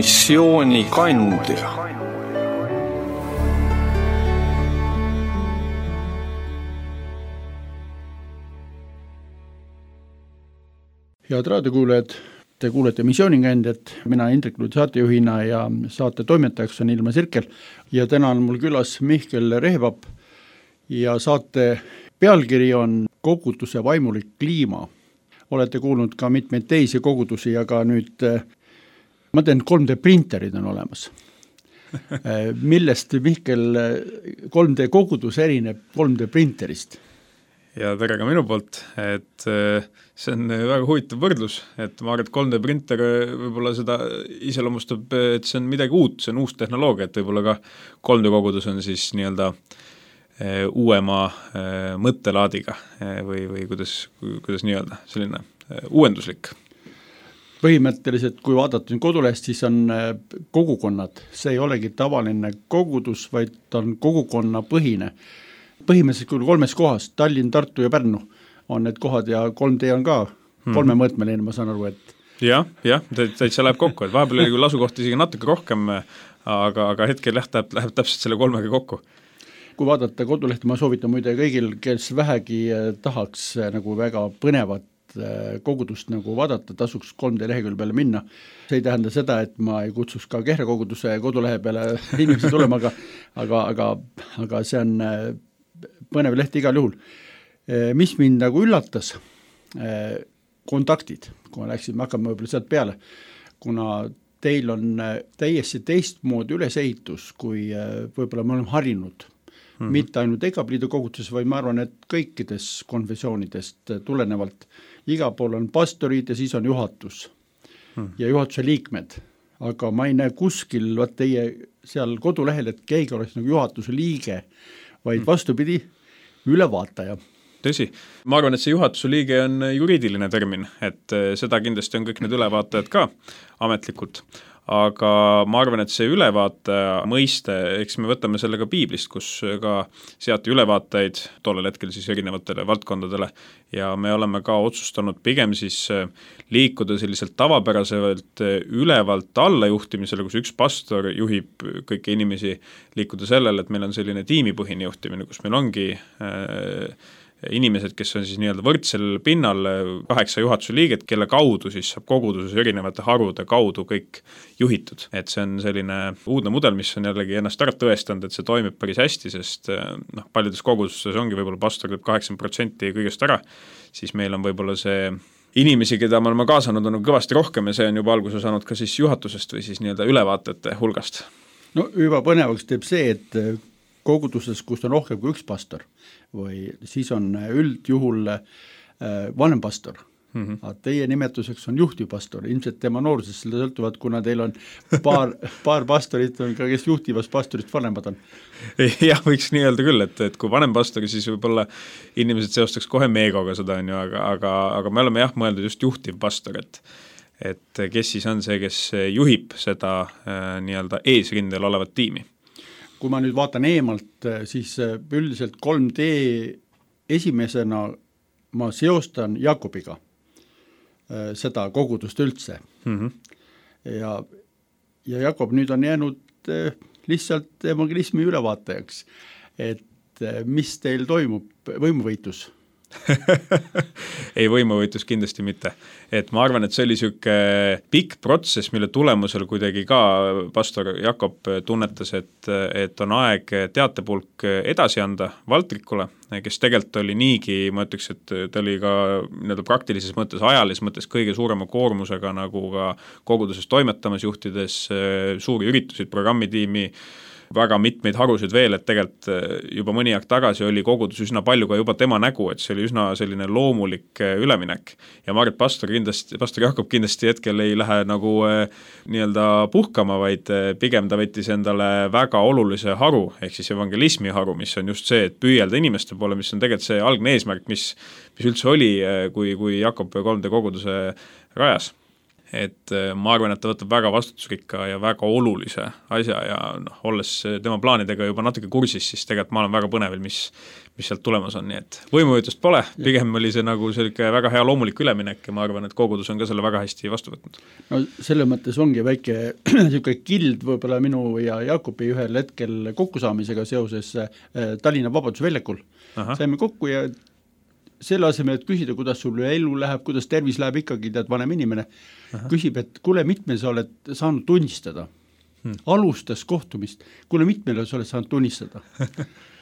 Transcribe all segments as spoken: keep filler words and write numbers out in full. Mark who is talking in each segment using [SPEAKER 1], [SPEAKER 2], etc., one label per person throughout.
[SPEAKER 1] missiooni kandja.
[SPEAKER 2] Head raadiokuulajad, te kuulete missioonikandjat, mina Indrek Luud saatejuhina ja saate toimetajaks on Ilma Sirkel ja täna on mul külas Mihkel Rehvap ja saate pealkiri on koguduse vaimulik kliima. Olete kuulnud ka mitmeid teisi kogudusi, aga nüüd ma teen kolm D printerid on olemas. Millest Mihkel kolm D kogudus erineb kolm D printerist?
[SPEAKER 3] Ja tere ka minu poolt, et see on väga huvitav võrdlus, et ma arvan, et kolm D printer võib-olla seda iseloomustab, et see on midagi uut, see on uus tehnoloogia, et võib-olla ka kolm D kogudus on siis nii-öelda uuema mõttelaadiga või, või kuidas, kuidas nii-öelda, selline uuenduslik.
[SPEAKER 2] Põhimõtteliselt, kui vaadata kodulehest, siis on kogukonnad. See ei olegi tavaline kogudus, vaid on kogukonna põhine. Põhimõtteliselt küll kolmes kohas, Tallinn, Tartu ja Pärnu on need kohad ja kolm D on ka kolme mõõtmeline, ma saan aru, et...
[SPEAKER 3] Jah, jah, täitsa läheb kokku, et vahepeal oli küll asukohti isegi natuke rohkem, aga, aga hetkel läheb, läheb täpselt selle kolmega kokku.
[SPEAKER 2] Kui vaadata kodulehti, ma soovitan muide kõigil, kes vähegi tahaks nagu väga põnevat kogudust nagu vaadata, tasuks kolm D lehekülje peale minna. See ei tähenda seda, et ma ei kutsuks ka Kehra koguduse kodulehe peale inimesi tulema, aga, aga, aga, aga see on põnev leht igal juhul. Mis mind nagu üllatas, kontaktid, kui ma läksin, me hakkame võib-olla sealt peale, kuna teil on täiesti teistmoodi ülesehitus, kui võib-olla me oleme harinud. Mm-hmm. Mitte ainult Egapliidu koguduses, vaid ma arvan, et kõikides konfessioonidest tulenevalt iga pool on pastorid ja siis on juhatus mm. ja juhatuse liikmed. Aga ma ei näe kuskil vaat teie seal kodulehel, et keegi oleks nagu juhatuse liige, vaid vastupidi, ülevaataja.
[SPEAKER 3] Tõsi, ma arvan, et see juhatuse liige on juriidiline termin, et seda kindlasti on kõik need ülevaatajad ka ametlikult, aga ma arvan, et see ülevaataja mõiste, eks me võtame selle ka piiblist, kus ka seati ülevaatajaid tollel hetkel siis erinevatele valdkondadele ja me oleme ka otsustanud pigem siis liikuda selliselt tavapäraselt ülevalt alla juhtimisele, kus üks pastor juhib kõiki inimesi, liikuda sellele, et meil on selline tiimipõhine juhtimine, kus meil ongi äh, inimesed, kes on siis nii-öelda võrdsel pinnal, kaheksa juhatuse liiget, kelle kaudu siis saab koguduses erinevate harude kaudu kõik juhitud. Et see on selline uudne mudel, mis on jällegi ennast ära tõestanud, et see toimib päris hästi, sest noh, paljudes kogudustes ongi võib-olla pastor teeb kaheksakümmend protsenti kõigest ära, siis meil on võib-olla see inimesi, keda me oleme kaasanud, on kõvasti rohkem ja see on juba alguse saanud ka siis juhatusest või siis nii-öelda ülevaatajate hulgast.
[SPEAKER 2] No juba põnevaks teeb see, et koguduses, kus on rohkem kui üks pastor või siis on üldjuhul äh, vanem pastor. Mm-hmm. A teie nimetuseks on juhtivpastor, ilmselt tema noorusest selle sõltuvad, kuna teil on paar, paar pastorit, on ka kes juhtivast pastorist vanemad on.
[SPEAKER 3] Jah, võiks nii öelda küll, et, et kui vanem pastori, siis võib-olla inimesed seostaks kohe meegoga seda, on ju, aga, aga, aga me oleme jah mõeldud just juhtivpastor, et et kes siis on see, kes juhib seda äh, nii-öelda eesrindel olevat tiimi.
[SPEAKER 2] Kui ma nüüd vaatan eemalt, siis üldiselt kolm D esimesena ma seostan Jakobiga seda kogudust üldse. Mm-hmm. Ja, ja Jakob nüüd on jäänud lihtsalt evangelismi ülevaatajaks. Et mis teil toimub, võimuvõitlus?
[SPEAKER 3] Ei, võimuvõitlus kindlasti mitte. Et ma arvan, et see oli selline pikk protsess, mille tulemusel kuidagi ka pastor Jakob tunnetas, et, et on aeg teatepulk edasi anda Valtrikule, kes tegelikult oli niigi, ma ütleks, et ta oli ka nii-öelda praktilises mõttes, ajalises mõttes kõige suurema koormusega nagu ka koguduses toimetamas juhtides, suuri üritusid, programmitiimi, väga mitmeid harusid veel, et tegelikult juba mõni aeg tagasi oli kogudus üsna palju ka juba tema nägu, et see oli üsna selline loomulik üleminek. Ja ma arvan, et pastor, kindlasti, pastor Jakob kindlasti hetkel ei lähe nagu nii-öelda puhkama, vaid pigem ta võttis endale väga olulise haru, ehk siis evangelismi haru, mis on just see, et püüelda inimeste poole, mis on tegelikult see algne eesmärk, mis, mis üldse oli, kui, kui Jakob kolm D koguduse rajas. et ma arvan, et ta võtab väga vastutusrikka ja väga olulise asja ja noh, olles tema plaanidega juba natuke kursis, siis tegelikult ma olen väga põnevil, mis, mis sealt tulemas on, nii et võimujutust pole, pigem oli see nagu selline väga hea loomulik üleminek ja ma arvan, et kogudus on ka selle väga hästi vastu võtnud.
[SPEAKER 2] No selle mõttes ongi väike selline kild võib-olla minu ja Jaakobi ühel hetkel kokkusaamisega seoses Tallinna Vabadusväljakul. Aha. Saime kokku ja selle asemel, et küsida, kuidas sul elu läheb, kuidas tervis läheb, ikkagi tead vanem inimene, Aha. küsib, et kuule, mitmel sa oled saanud tunnistada. Hmm. Alustas kohtumist, kuule, mitmel sa oled saanud tunnistada.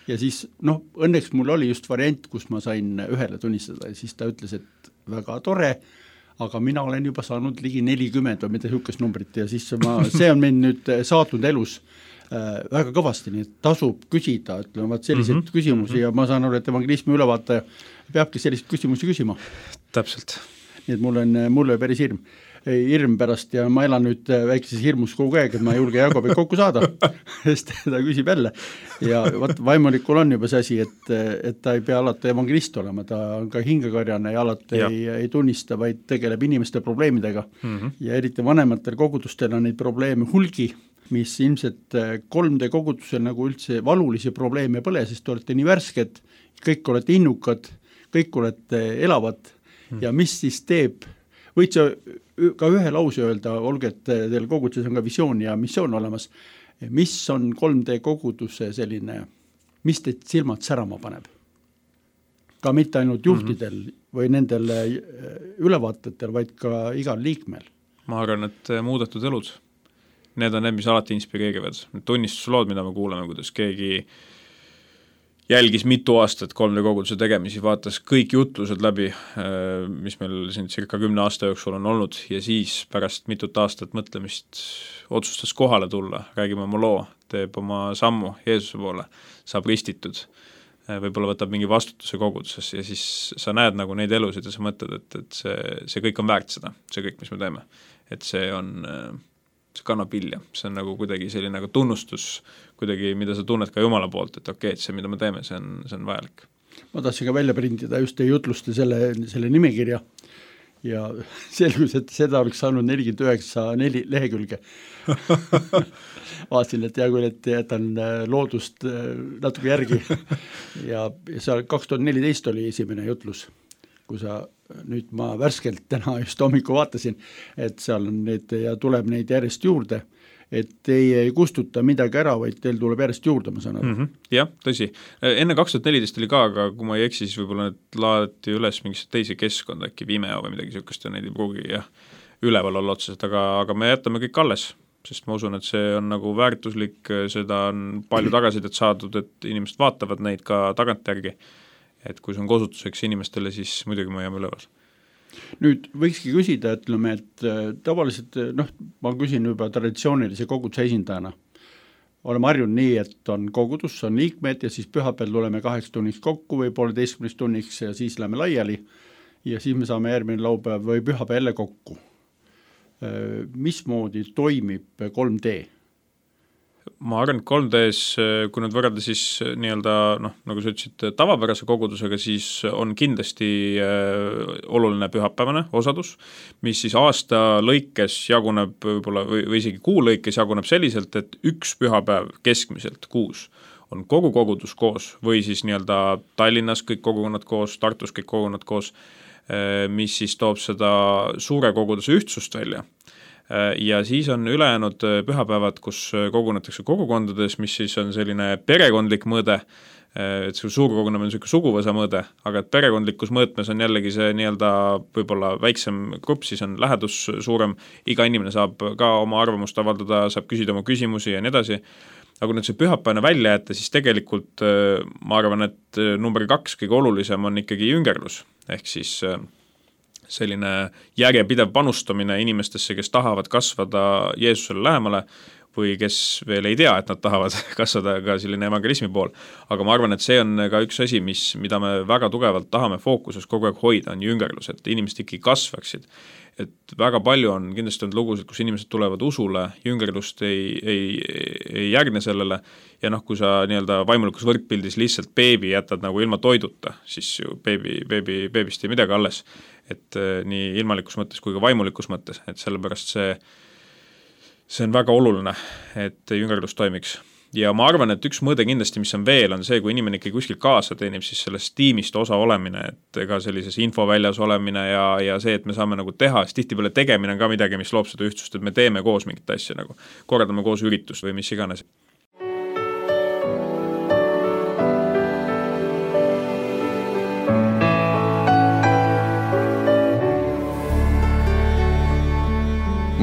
[SPEAKER 2] Ja siis, noh, õnneks mul oli just variant, kus ma sain ühele tunnistada ja siis ta ütles, et väga tore, aga mina olen juba saanud ligi nelikümmend või mida hükkes numbrit ja siis ma, see on meil nüüd saatnud elus äh, väga kõvasti, nii et tasub küsida, ütleme, vaat selliseid mm -hmm. küsimusi ja ma saan aru, et evangelismi ülevaataja peabki selliseid küsimusi küsima.
[SPEAKER 3] Täpselt.
[SPEAKER 2] Nii et mul on, mul on päris hirm, hirm pärast ja ma elan nüüd väikeses hirmus kogu aeg, et ma ei julge Jaakobi kokku saada, sest ta küsib jälle. Ja vaat vaimulikul on juba see asi, et, et ta ei pea alati evangelist olema, ta on ka hingekarjane ja alati ja. Ei, ei tunnista, vaid tegeleb inimeste probleemidega mm -hmm. ja eriti vanematel kogudustel on neid probleeme hulgi, mis ilmselt kolm D kogudusel nagu üldse valulisi probleeme pole, sest te olete nii värsked, kõik olete innukad, kõik olete elavad hmm. ja mis siis teeb, võid sa ka ühe lause öelda, olge, et teil koguduses on ka visioon ja missioon olemas, mis on kolm D koguduse selline, mis teid silmad särama paneb? Ka mitte ainult juhtidel mm -hmm. või nendel ülevaatajatel, vaid ka igal liikmel.
[SPEAKER 3] Ma arvan, et muudetud elud, need on need, mis alati inspireerivad. Tunnistuslood, mida me kuuleme, kuidas keegi jälgis mitu aastat kolm D koguduse tegemisi, vaatas kõik jutlused läbi, mis meil siin circa kümne aasta jooksul on olnud ja siis pärast mitut aastat mõtlemist otsustas kohale tulla, räägime oma loo, teeb oma sammu Jeesuse poole, saab ristitud, võib-olla võtab mingi vastutuse koguduses ja siis sa näed nagu neid elusid ja sa mõtled, et, et see, see kõik on väärt seda, see kõik, mis me teeme. Et see on, see kannab vilja, see on nagu kuidagi selline nagu tunnustus, kuidagi, mida sa tunned ka Jumala poolt, et okei, et see, mida me teeme, see on, see on vajalik.
[SPEAKER 2] Ma tahtsin ka välja printida just jutluste selle, selle nimekirja ja selgus, et seda oleks saanud nelikümmend üheksa neli lehekülge. Vaatasin, et hea küll, et jätan loodust natuke järgi ja seal kaks tuhat neliteist oli esimene jutlus, kui sa nüüd ma värskelt täna just hommikul vaatasin, et seal on need ja tuleb neid järjest juurde, et teie ei kustuta midagi ära, vaid teil tuleb järjest juurde, ma saan aru. Mm -hmm.
[SPEAKER 3] Jah, tõsi. Enne kaks tuhat neliteist oli ka, aga kui ma ei eksi, siis võib-olla need laaditi üles mingisse teise keskkonda, äkki Vimeo või midagi niisugust ja neid ei pruugi jah, üleval olla otseselt, aga, aga me jätame kõik alles, sest ma usun, et see on nagu väärtuslik, seda on palju tagasidet saadud, et inimesed vaatavad neid ka tagantjärgi, et kui see on kosutuseks inimestele, siis muidugi ma jääme üleval.
[SPEAKER 2] Nüüd võikski küsida, ütleme, et tavaliselt, noh, ma küsin juba traditsioonilise koguduse esindajana. Oleme harjunud nii, et on kogudus, on liikmed ja siis pühapäeval tuleme kaheks tunniks kokku või pooleteistkümneks tunniks ja siis läheme laiali ja siis me saame järgmine laupäev või pühapäev jälle kokku. Mismoodi toimib kolm D?
[SPEAKER 3] Ma arvan, et kolm D-s, kui nüüd võrrelda siis nii-öelda, noh, nagu sa ütlesid, tavapärase kogudusega, siis on kindlasti äh, oluline pühapäevane osadus, mis siis aasta lõikes jaguneb võib-olla või, või isegi kuu lõikes jaguneb selliselt, et üks pühapäev keskmiselt kuus on kogu kogudus koos või siis nii-öelda Tallinnas kõik kogukonnad koos, Tartus kõik kogukonnad koos, äh, mis siis toob seda suure koguduse ühtsust välja. Ja siis on ülejäänud pühapäevad, kus kogunetakse kogukondades, mis siis on selline perekondlik mõõde, et see suurkogunemine on selline suguvõsa mõõde, aga et perekondlikus mõõtmes on jällegi see nii-öelda võib-olla väiksem grupp, siis on lähedus suurem, iga inimene saab ka oma arvamust avaldada, saab küsida oma küsimusi ja nii edasi. Aga kui nüüd see pühapäevane välja jätta, siis tegelikult ma arvan, et number kaks kõige olulisem on ikkagi jüngerlus, ehk siis selline järjepidev panustamine inimestesse, kes tahavad kasvada Jeesusele lähemale või kes veel ei tea, et nad tahavad kasvada ka selline evangelismi pool. Aga ma arvan, et see on ka üks asi, mis, mida me väga tugevalt tahame fookuses kogu aeg hoida, on jüngerlus, et inimesed ikkagi kasvaksid. Et väga palju on kindlasti olnud lugusid, kus inimesed tulevad usule, jüngerlust ei, ei, ei järgne sellele ja noh, kui sa nii-öelda vaimulikus võrdpildis lihtsalt beebi jätad nagu ilma toiduta, siis ju beebi, beebi, beebist ei midagi alles. Et nii ilmalikus mõttes kui ka vaimulikus mõttes, et sellepärast see see on väga oluline, et jüngerlus toimiks. Ja ma arvan, et üks mõõde kindlasti, mis on veel, on see, kui inimene ikka kuskil kaasa teenib, siis sellest tiimist osa olemine, et ega sellises infoväljas olemine ja, ja see, et me saame nagu teha, siis tihtipeale tegemine on ka midagi, mis loob seda ühtsust, et me teeme koos mingit asja, nagu korraldame koos üritust või mis iganes.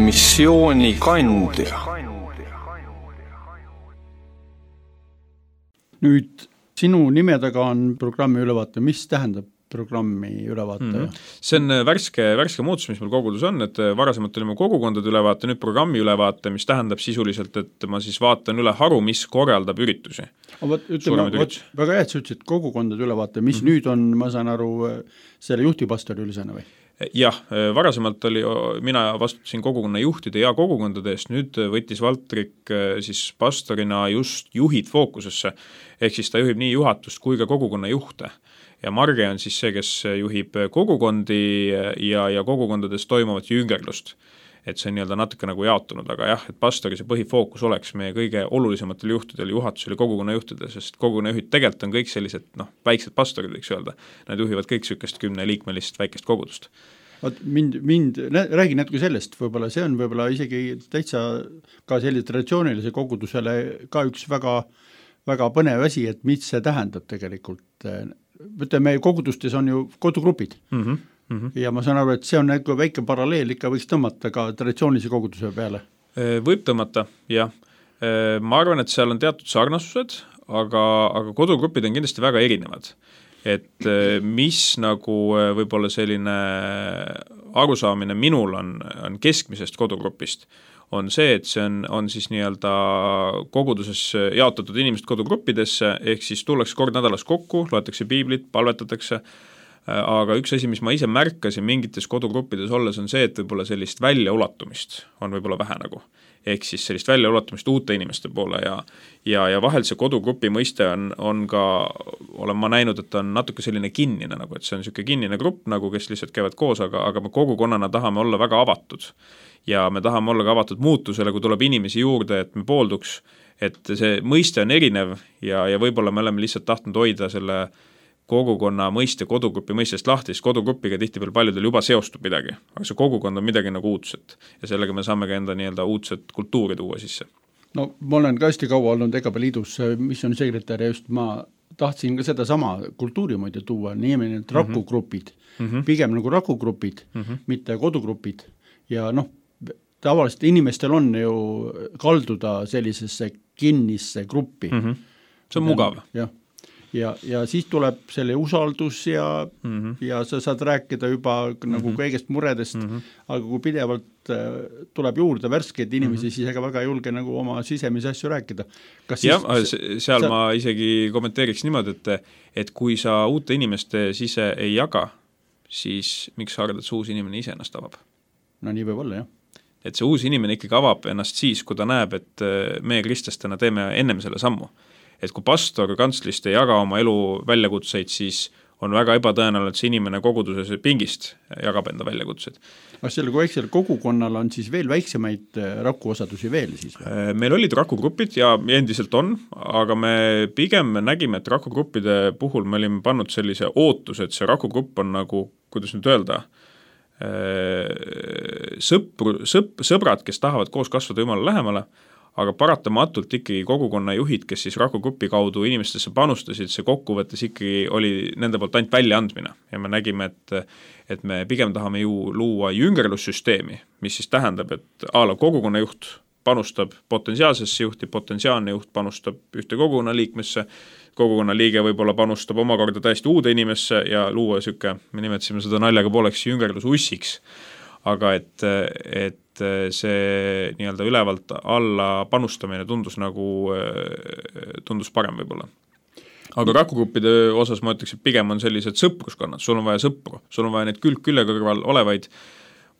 [SPEAKER 1] missiooni kandja.
[SPEAKER 2] Nüüd sinu nime taga on programmi ülevaate, mis tähendab programmi ülevaate?
[SPEAKER 3] Mm-hmm. See on värske, värske muutus, mis meil kogudus on, et varasemalt olime kogukondade ülevaate, nüüd programmi ülevaate, mis tähendab sisuliselt, et ma siis vaatan üle haru, mis korraldab üritusi.
[SPEAKER 2] Võt, ütleme, võt, väga hea, et sa ütlesid kogukondade ülevaate, mis mm-hmm. nüüd on, ma saan aru, selle juhtivpastori ülesanne või?
[SPEAKER 3] Jah, varasemalt oli, mina vastutasin kogukonna juhtide ja kogukondade eest, nüüd võttis Valtrik siis pastorina just juhid fookusesse, ehk siis ta juhib nii juhatust kui ka kogukonna juhte. Ja Marge on siis see, kes juhib kogukondi ja, ja kogukondades toimuvat jüngerlust. Et see on nii-öelda natuke nagu jaotunud, aga jah, et pastori see põhifookus oleks meie kõige olulisematel juhtidel, juhatusel ja kogukonna juhtidel, sest kogukonna juhid tegelikult on kõik sellised, noh, väiksed pastorid, võiks öelda. Nad juhivad kõik sükest kümne liikmelist väikest kogudust.
[SPEAKER 2] Vaat mind, mind, räägi natuke sellest, võib-olla see on võib-olla isegi täitsa ka sellise traditsioonilise kogudusele ka üks väga, väga põnev asi, et mis see tähendab tegelikult. Võtame, kogudustes on ju kodugrupid. Mhm. Mm-hmm. Ja ma saan aru, et see on nagu väike paralleel ikka võiks tõmmata ka traditsioonilise koguduse peale.
[SPEAKER 3] Võib tõmmata, jah. Ma arvan, et seal on teatud sarnasused, aga, aga kodugrupid on kindlasti väga erinevad. Et mis nagu võib-olla selline arusaamine minul on, on keskmisest kodugrupist, on see, et see on, on siis nii-öelda koguduses jaotatud inimesed kodugruppidesse, ehk siis tullakse kord nädalas kokku, loetakse piiblit, palvetatakse, aga üks asi, mis ma ise märkasin mingites kodugruppides olles, on see, et võib-olla sellist väljaulatumist on võib-olla vähe nagu. Ehk siis sellist väljaulatumist uute inimeste poole ja, ja, ja vahel see kodugrupi mõiste on, on ka, olen ma näinud, et on natuke selline kinnine, nagu, et see on selline kinnine grupp, nagu kes lihtsalt käivad koos, aga, aga me kogukonnana tahame olla väga avatud. Ja me tahame olla ka avatud muutusele, kui tuleb inimesi juurde, et me poolduks, et see mõiste on erinev ja, ja võib-olla me oleme lihtsalt tahtnud hoida selle kogukonna mõiste, kodugrupi mõistest lahti, siis kodugrupiga tihtipeal paljudel juba seostub midagi, aga see kogukond on midagi nagu uudset ja sellega me saame ka enda nii-öelda uudset kultuuri tuua sisse.
[SPEAKER 2] No ma olen ka hästi kaua olnud Egaba liidus missioonisekretär ja just ma tahtsin ka seda sama kultuurimuide tuua, niimoodi need rakugrupid, mm-hmm. pigem nagu rakugrupid, mm-hmm. mitte kodugrupid ja noh, tavaliselt inimestel on ju kalduda sellisesse kinnisse gruppi. Mm-hmm.
[SPEAKER 3] See on mugav.
[SPEAKER 2] Jah. Ja, ja siis tuleb selle usaldus ja, mm-hmm. ja sa saad rääkida juba nagu mm-hmm. kõigest muredest, mm-hmm. aga kui pidevalt äh, tuleb juurde värskeid inimesi, mm-hmm. siis ega väga julge nagu oma sisemise asju rääkida. Kas
[SPEAKER 3] jah,
[SPEAKER 2] siis,
[SPEAKER 3] seal
[SPEAKER 2] sa...
[SPEAKER 3] ma isegi kommenteeriks niimoodi, et, et kui sa uute inimeste sise ei jaga, siis miks sa arvad, et see uus inimene ise ennast avab?
[SPEAKER 2] No nii võib olla, jah.
[SPEAKER 3] Et see uus inimene ikkagi avab ennast siis, kui ta näeb, et meie kristlastena teeme ennem selle sammu. Et kui pastor kantslist ei jaga oma elu väljakutseid, siis on väga ebatõenäoline, et see inimene koguduses pingist jagab enda väljakutseid.
[SPEAKER 2] Aga selle väiksel kogukonnal on siis veel väiksemaid rakuosadusi veel siis?
[SPEAKER 3] Meil olid rakugrupid ja endiselt on, aga me pigem nägime, et rakugruppide puhul me olime pannud sellise ootuse, et see rakugrupp on nagu, kuidas nüüd öelda, sõpru, sõp, sõbrad, kes tahavad koos kasvada Jumala lähemale, aga paratamatult ikkagi kogukonna juhid, kes siis rakugrupi kaudu inimestesse panustasid, see kokkuvõttes ikkagi oli nende poolt ainult väljaandmine ja me nägime, et, et me pigem tahame ju luua jüngerlussüsteemi, mis siis tähendab, et a la kogukonna juht panustab potentsiaalsesse juhti, potentsiaalne juht panustab ühte kogukonna liikmesse, kogukonna liige võib-olla panustab omakorda täiesti uude inimesse ja luua süke, me nimetasime seda naljaga pooleks jüngerlusussiks. aga et, et see nii-öelda ülevalt alla panustamine tundus nagu, tundus parem võib-olla. Aga rakugruppide osas ma ütleks, et pigem on sellised sõpruskonnad, sul on vaja sõpru, sul on vaja neid külg külje kõrval olevaid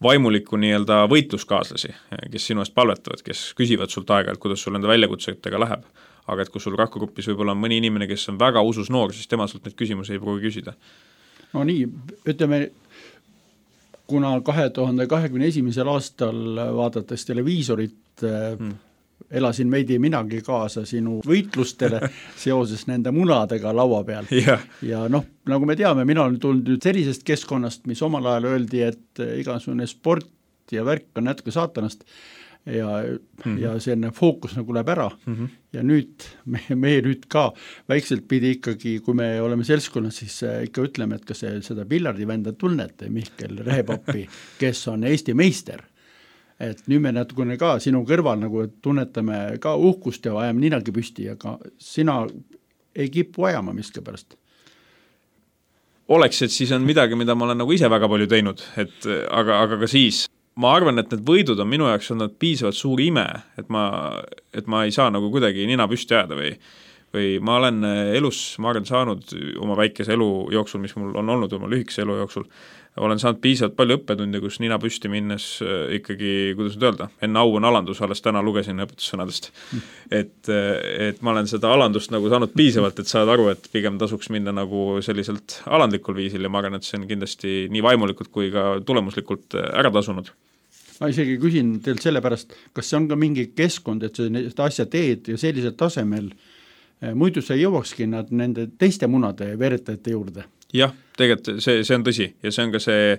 [SPEAKER 3] vaimuliku nii-öelda võitluskaaslasi, kes sinu eest palvetavad, kes küsivad sult aega, et kuidas sul nende väljakutsetega läheb. Aga et kui sul rakugrupis võib-olla on mõni inimene, kes on väga usus noor, siis tema sult neid küsimusi ei pruugi küsida.
[SPEAKER 2] No nii, ütleme, kuna kahe tuhande kahekümne esimesel aastal vaadates televiisorit hmm. elasin veidi minagi kaasa sinu võitlustele seoses nende munadega laua peal.
[SPEAKER 3] Ja,
[SPEAKER 2] ja noh, nagu me teame, mina olen tulnud nüüd sellisest keskkonnast, mis omal ajal öeldi, et igasugune sport ja värk on natuke saatanast ja, mm-hmm. ja selline fookus nagu läheb ära mm-hmm. ja nüüd me, me nüüd ka väikselt pidi ikkagi, kui me oleme seltskonnas, siis ikka ütleme, et kas see, seda pillardivenda tunnete Mihkel Rehepappi, kes on Eesti meister. Et nüüd me natukene ka sinu kõrval nagu tunnetame ka uhkust ja ajame ninagi püsti, aga sina ei kipu ajama miski pärast.
[SPEAKER 3] Oleks, et siis on midagi, mida ma olen nagu ise väga palju teinud, et, aga, aga ka siis ma arvan, et need võidud on minu jaoks olnud piisavalt suur ime, et ma, et ma ei saa nagu kuidagi nina püsti jääda või, või ma olen elus, ma arvan, saanud oma väikese elu jooksul, mis mul on olnud oma lühikese elu jooksul, olen saanud piisavalt palju õppetunde, kus nina püsti minnes ikkagi, kuidas nüüd öelda, enne au on alandus, alles täna lugesin õpetussõnadest. Et, et ma olen seda alandust nagu saanud piisavalt, et saad aru, et pigem tasuks minna nagu selliselt alandlikul viisil ja ma arvan, et see on kindlasti nii vaimulikult kui ka tulemuslikult ära tasunud.
[SPEAKER 2] Ma isegi küsin teilt selle pärast, kas see on ka mingi keskkond, et seda asja teed ja sellisel tasemel, muidu sa ei jõuakski nad nende teiste munade veretajate juurde?
[SPEAKER 3] Jah, tegelikult see, see on tõsi ja see on ka see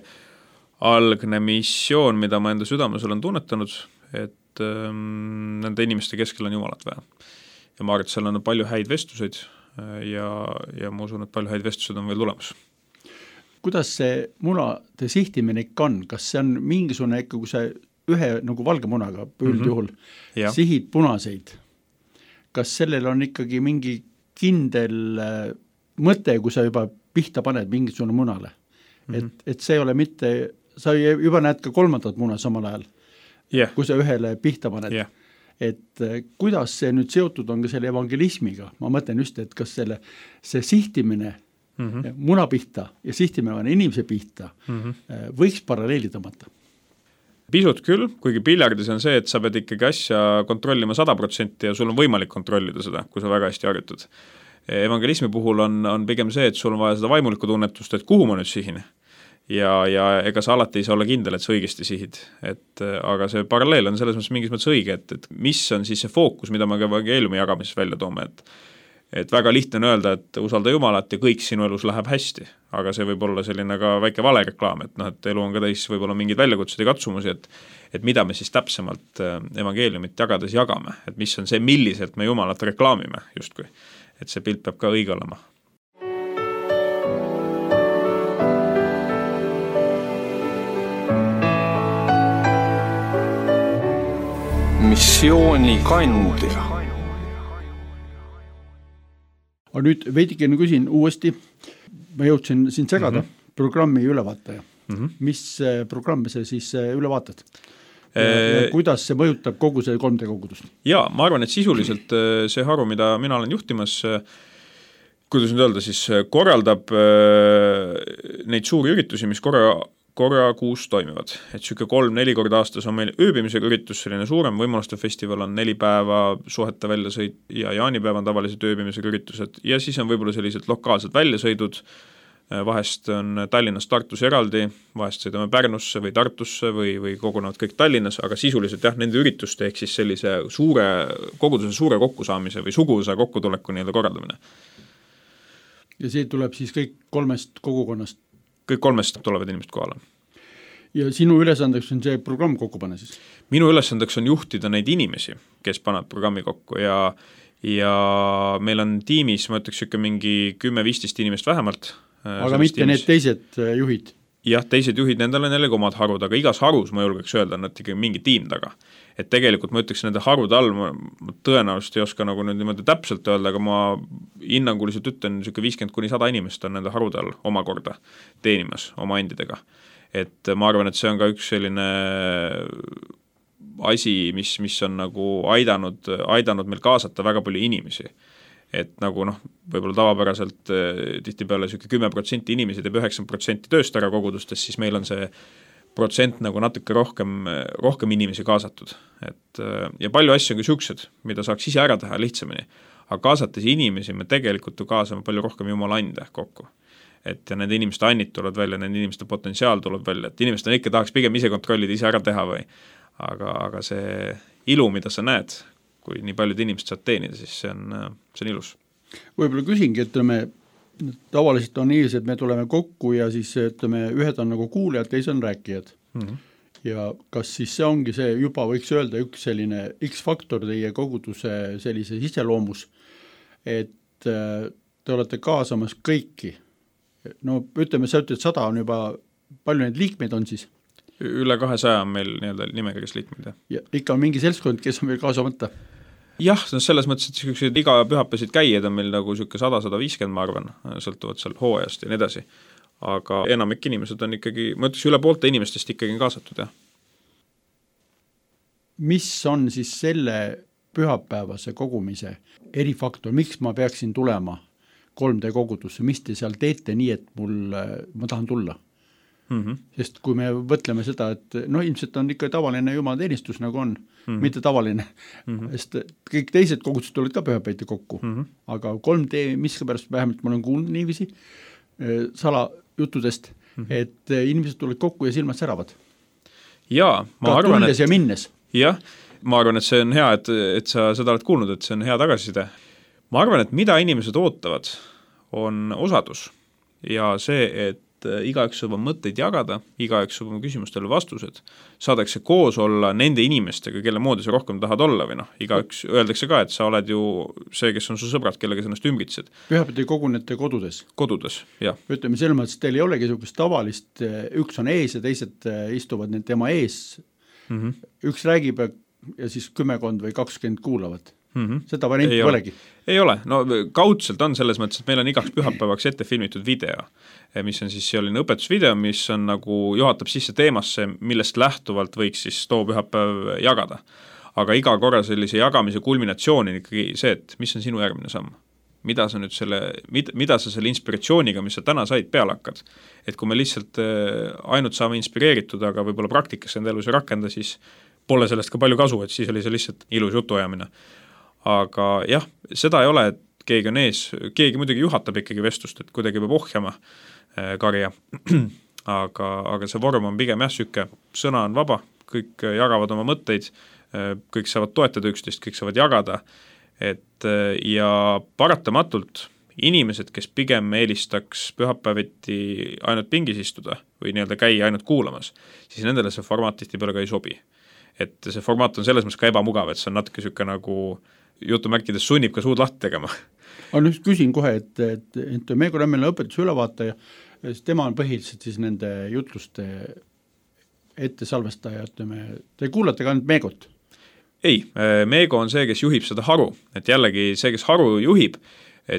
[SPEAKER 3] algne missioon, mida ma enda südames olen tunnetanud, et ähm, nende inimeste keskel on Jumalat vaja. Ja ma arvan, et seal on palju häid vestluseid ja, ja ma usun, et palju häid vestlused on veel tulemas.
[SPEAKER 2] Kuidas see munade sihtimine ikka on? Kas see on mingisugune ikka, kui see ühe nagu valge munaga üldjuhul mm-hmm. ja. Sihid punaseid? Kas sellel on ikkagi mingi kindel mõte, kui sa juba pihta paned mingisugune munale? Mm-hmm. Et, et see ei ole mitte, sa juba näed ka kolmandat muna samal ajal, yeah. kui sa ühele pihta paned. Yeah. Et kuidas see nüüd seotud on ka selle evangelismiga? Ma mõtlen just, et kas selle, see sihtimine mm-hmm. muna pihta ja sihtimine inimese pihta mm-hmm. võiks paralleeli tõmmata?
[SPEAKER 3] Pisut küll, kuigi piljardis on see, et sa pead ikkagi asja kontrollima sada protsenti ja sul on võimalik kontrollida seda, kui sa väga hästi harjutad. Evangelismi puhul on, on pigem see, et sul on vaja seda vaimulikku tunnetust, et kuhu ma nüüd sihin. Ja, ja ega sa alati ei saa olla kindel, et sa õigesti sihid. Et, aga see paralleel on selles mõttes mingis mõttes õige, et, et mis on siis see fookus, mida me ka evangeeliumi jagamises välja toome. Et, et väga lihtne on öelda, et usalda Jumalat ja kõik sinu elus läheb hästi. Aga see võib olla selline ka väike valereklaam, et, no, et elu on ka täis võib-olla mingid väljakutsed ja katsumusi, et, et mida me siis täpsemalt evangeeliumit jagades jagame. Et mis on see, milliselt me Jumalat reklaamime justkui. Et see pilt peab ka õige olema.
[SPEAKER 1] Missiooni kandja.
[SPEAKER 2] Aga nüüd veidikene küsin uuesti, ma jõudsin siin segada mm-hmm. programmi ülevaataja. Mm-hmm. Mis programmi see siis üle vaatad? Ja, ja kuidas see mõjutab kogu see kolm D kogudust?
[SPEAKER 3] Jaa, ma arvan, et sisuliselt see haru, mida mina olen juhtimas, kuidas nüüd öelda, siis korraldab neid suuri üritusi, mis korra, korra kuus toimivad. Et süke kolm-neli korda aastas on meil ööbimisega üritus, selline suurem võimaluste festival on neli päeva suhete väljasõid ja jaanipäev on tavalised ööbimisega üritused ja siis on võib-olla sellised lokaalsed väljasõidud. Vahest on Tallinnas Tartus eraldi, vahest sõidame Pärnusse või Tartusse või, või kogunevad kõik Tallinnas, aga sisuliselt jah, nende ürituste ehk siis sellise suure, koguduse suure kokkusaamise või suguvõsa kokkutuleku nii-öelda korraldamine.
[SPEAKER 2] Ja see tuleb siis kõik kolmest kogukonnast?
[SPEAKER 3] Kõik kolmest tulevad inimesed kohale.
[SPEAKER 2] Ja sinu ülesandeks on see programm kokku panna siis?
[SPEAKER 3] Minu ülesandeks on juhtida neid inimesi, kes panevad programmi kokku ja, ja meil on tiimis, ma ütleks ikka mingi kümme-viisteist inimest vähemalt.
[SPEAKER 2] Aga mitte tiimis. Need teised juhid?
[SPEAKER 3] Jah, teised juhid, nendel on jällegi omad harud, aga igas harus ma julgeks öelda, on ikkagi mingi tiim taga. Et tegelikult ma ütleks nende harude all, ma, ma tõenäoliselt ei oska nagu nüüd niimoodi täpselt öelda, aga ma hinnanguliselt ütlen, niisugune viiskümmend kuni sada inimest on nende harude all omakorda teenimas oma endidega. et ma arvan, et see on ka üks selline asi, mis, mis on nagu aidanud, aidanud meil kaasata väga palju inimesi. Et nagu noh, võib-olla tavapäraselt tihtipeale niisugune kümme protsenti inimesi teeb üheksakümmend protsenti tööst ära kogudustes, siis meil on see protsent nagu natuke rohkem, rohkem inimesi kaasatud. Et, ja palju asju on ka siuksed, mida saaks ise ära teha lihtsamini. Aga kaasates inimesi me tegelikult kaasame palju rohkem jumala ande kokku. Et ja nende inimeste annid tulevad välja, nende inimeste potentsiaal tuleb välja, et inimesed on ikka tahaks pigem ise kontrollida, ise ära teha või aga, aga see ilu, mida sa näed, kui nii paljud inimesed saad teenida, siis see on, see on ilus.
[SPEAKER 2] Võib-olla küsingi, et me tavaliselt on niiviisi, et me tuleme kokku ja siis ütleme, ühed on nagu kuulijad, teised on rääkijad. Mm-hmm. Ja kas siis see ongi see, juba võiks öelda üks selline X-faktor teie koguduse sellise iseloomus, et te olete kaasamas kõiki. No ütleme, sa ütled, sada on juba, palju neid liikmeid on siis?
[SPEAKER 3] Üle kahesaja on meil nii-öelda nimekirjas liikmeid.
[SPEAKER 2] Ja ikka on mingi seltskond, kes on veel kaasamata?
[SPEAKER 3] Jah, selles mõttes, et iga pühapäevasid käijad on meil nagu sada sada viiskümmend, ma arvan, sõltuvad seal hooajast ja nii edasi. Aga enamik inimesed on ikkagi, ma ütleks, üle poolte inimestest ikkagi kaasatud, jah.
[SPEAKER 2] Mis on siis selle pühapäevase kogumise erifaktor, miks ma peaksin tulema kolm D kogudusse, mis te seal teete nii, et mul, ma tahan tulla? Mm-hmm. Sest kui me võtleme seda, et no ilmselt on ikka tavaline jumalateenistus nagu on, mm-hmm. mitte tavaline, mm-hmm. sest kõik teised kogudused tulevad ka pühapäiti kokku, mm-hmm. aga kolm D, mis ka pärast vähemalt ma olen kuulnud niiviisi salajuttudest, mm-hmm. et inimesed tulevad kokku ja silmad säravad.
[SPEAKER 3] Jaa, ma
[SPEAKER 2] ka
[SPEAKER 3] arvan,
[SPEAKER 2] tulles
[SPEAKER 3] et...
[SPEAKER 2] ja minnes.
[SPEAKER 3] Jah, ma arvan, et see on hea, et, et sa seda oled kuulnud, et see on hea tagasiside. Ma arvan, et mida inimesed ootavad, on osadus ja see, et igaüks saab oma mõtteid jagada, igaüks saab oma küsimustele vastused, saadakse koos olla nende inimestega, kelle moodi sa rohkem tahad olla või noh, igaüks öeldakse ka, et sa oled ju see, kes on su sõbrad, kellega sa ennast ümbritsed.
[SPEAKER 2] Pühapäeval kogunete kodudes?
[SPEAKER 3] Kodudes, jah.
[SPEAKER 2] Ütleme selles mõttes, teil ei olegi niisugust tavalist, üks on ees ja teised istuvad need tema ees, mm-hmm. üks räägib ja siis kümmekond või kakskümmend kuulavad. Mm-hmm. Seda varianti ei polegi.
[SPEAKER 3] Ei ole, no kaudselt on selles mõttes, et meil on igaks pühapäevaks ette filmitud video, mis on siis selline õpetusvideo, mis on nagu juhatab sisse teemasse, millest lähtuvalt võiks siis too pühapäev jagada. Aga iga korra sellise jagamise kulminatsioon on ikkagi see, et mis on sinu järgmine samm. Mida sa nüüd selle, mida, mida sa selle inspiratsiooniga, mis sa täna said, peale hakkad. Et kui me lihtsalt ainult saame inspireeritud, aga võib-olla praktikas enda elus ei rakenda, siis pole sellest ka palju kasu, et siis oli see lihtsalt ilus jutuajamine. Aga jah, seda ei ole, et keegi on ees, keegi muidugi juhatab ikkagi vestlust, et kuidagi peab ohjama äh, karja, aga, aga see vorm on pigem jah süke, sõna on vaba, kõik jagavad oma mõtteid, äh, kõik saavad toetada üksteist, kõik saavad jagada, et äh, ja paratamatult inimesed, kes pigem eelistaks pühapäeviti ainult pingis istuda või nii-öelda käia ainult kuulamas, siis nendele see formaat tihtipeale ka ei sobi. Et see formaat on selles mõttes ka ebamugav, et see on natuke süke nagu jutumärkides sunnib ka suud lahti tegema.
[SPEAKER 2] Ma nüüd küsin kohe, et, et, et Meego Rämmeline õpetuse ülevaataja, tema on põhiliselt siis nende jutluste ette salvestaja, ütleme, te kuulate ka ainult Meegot?
[SPEAKER 3] Ei, Meego on see, kes juhib seda haru, et jällegi see, kes haru juhib,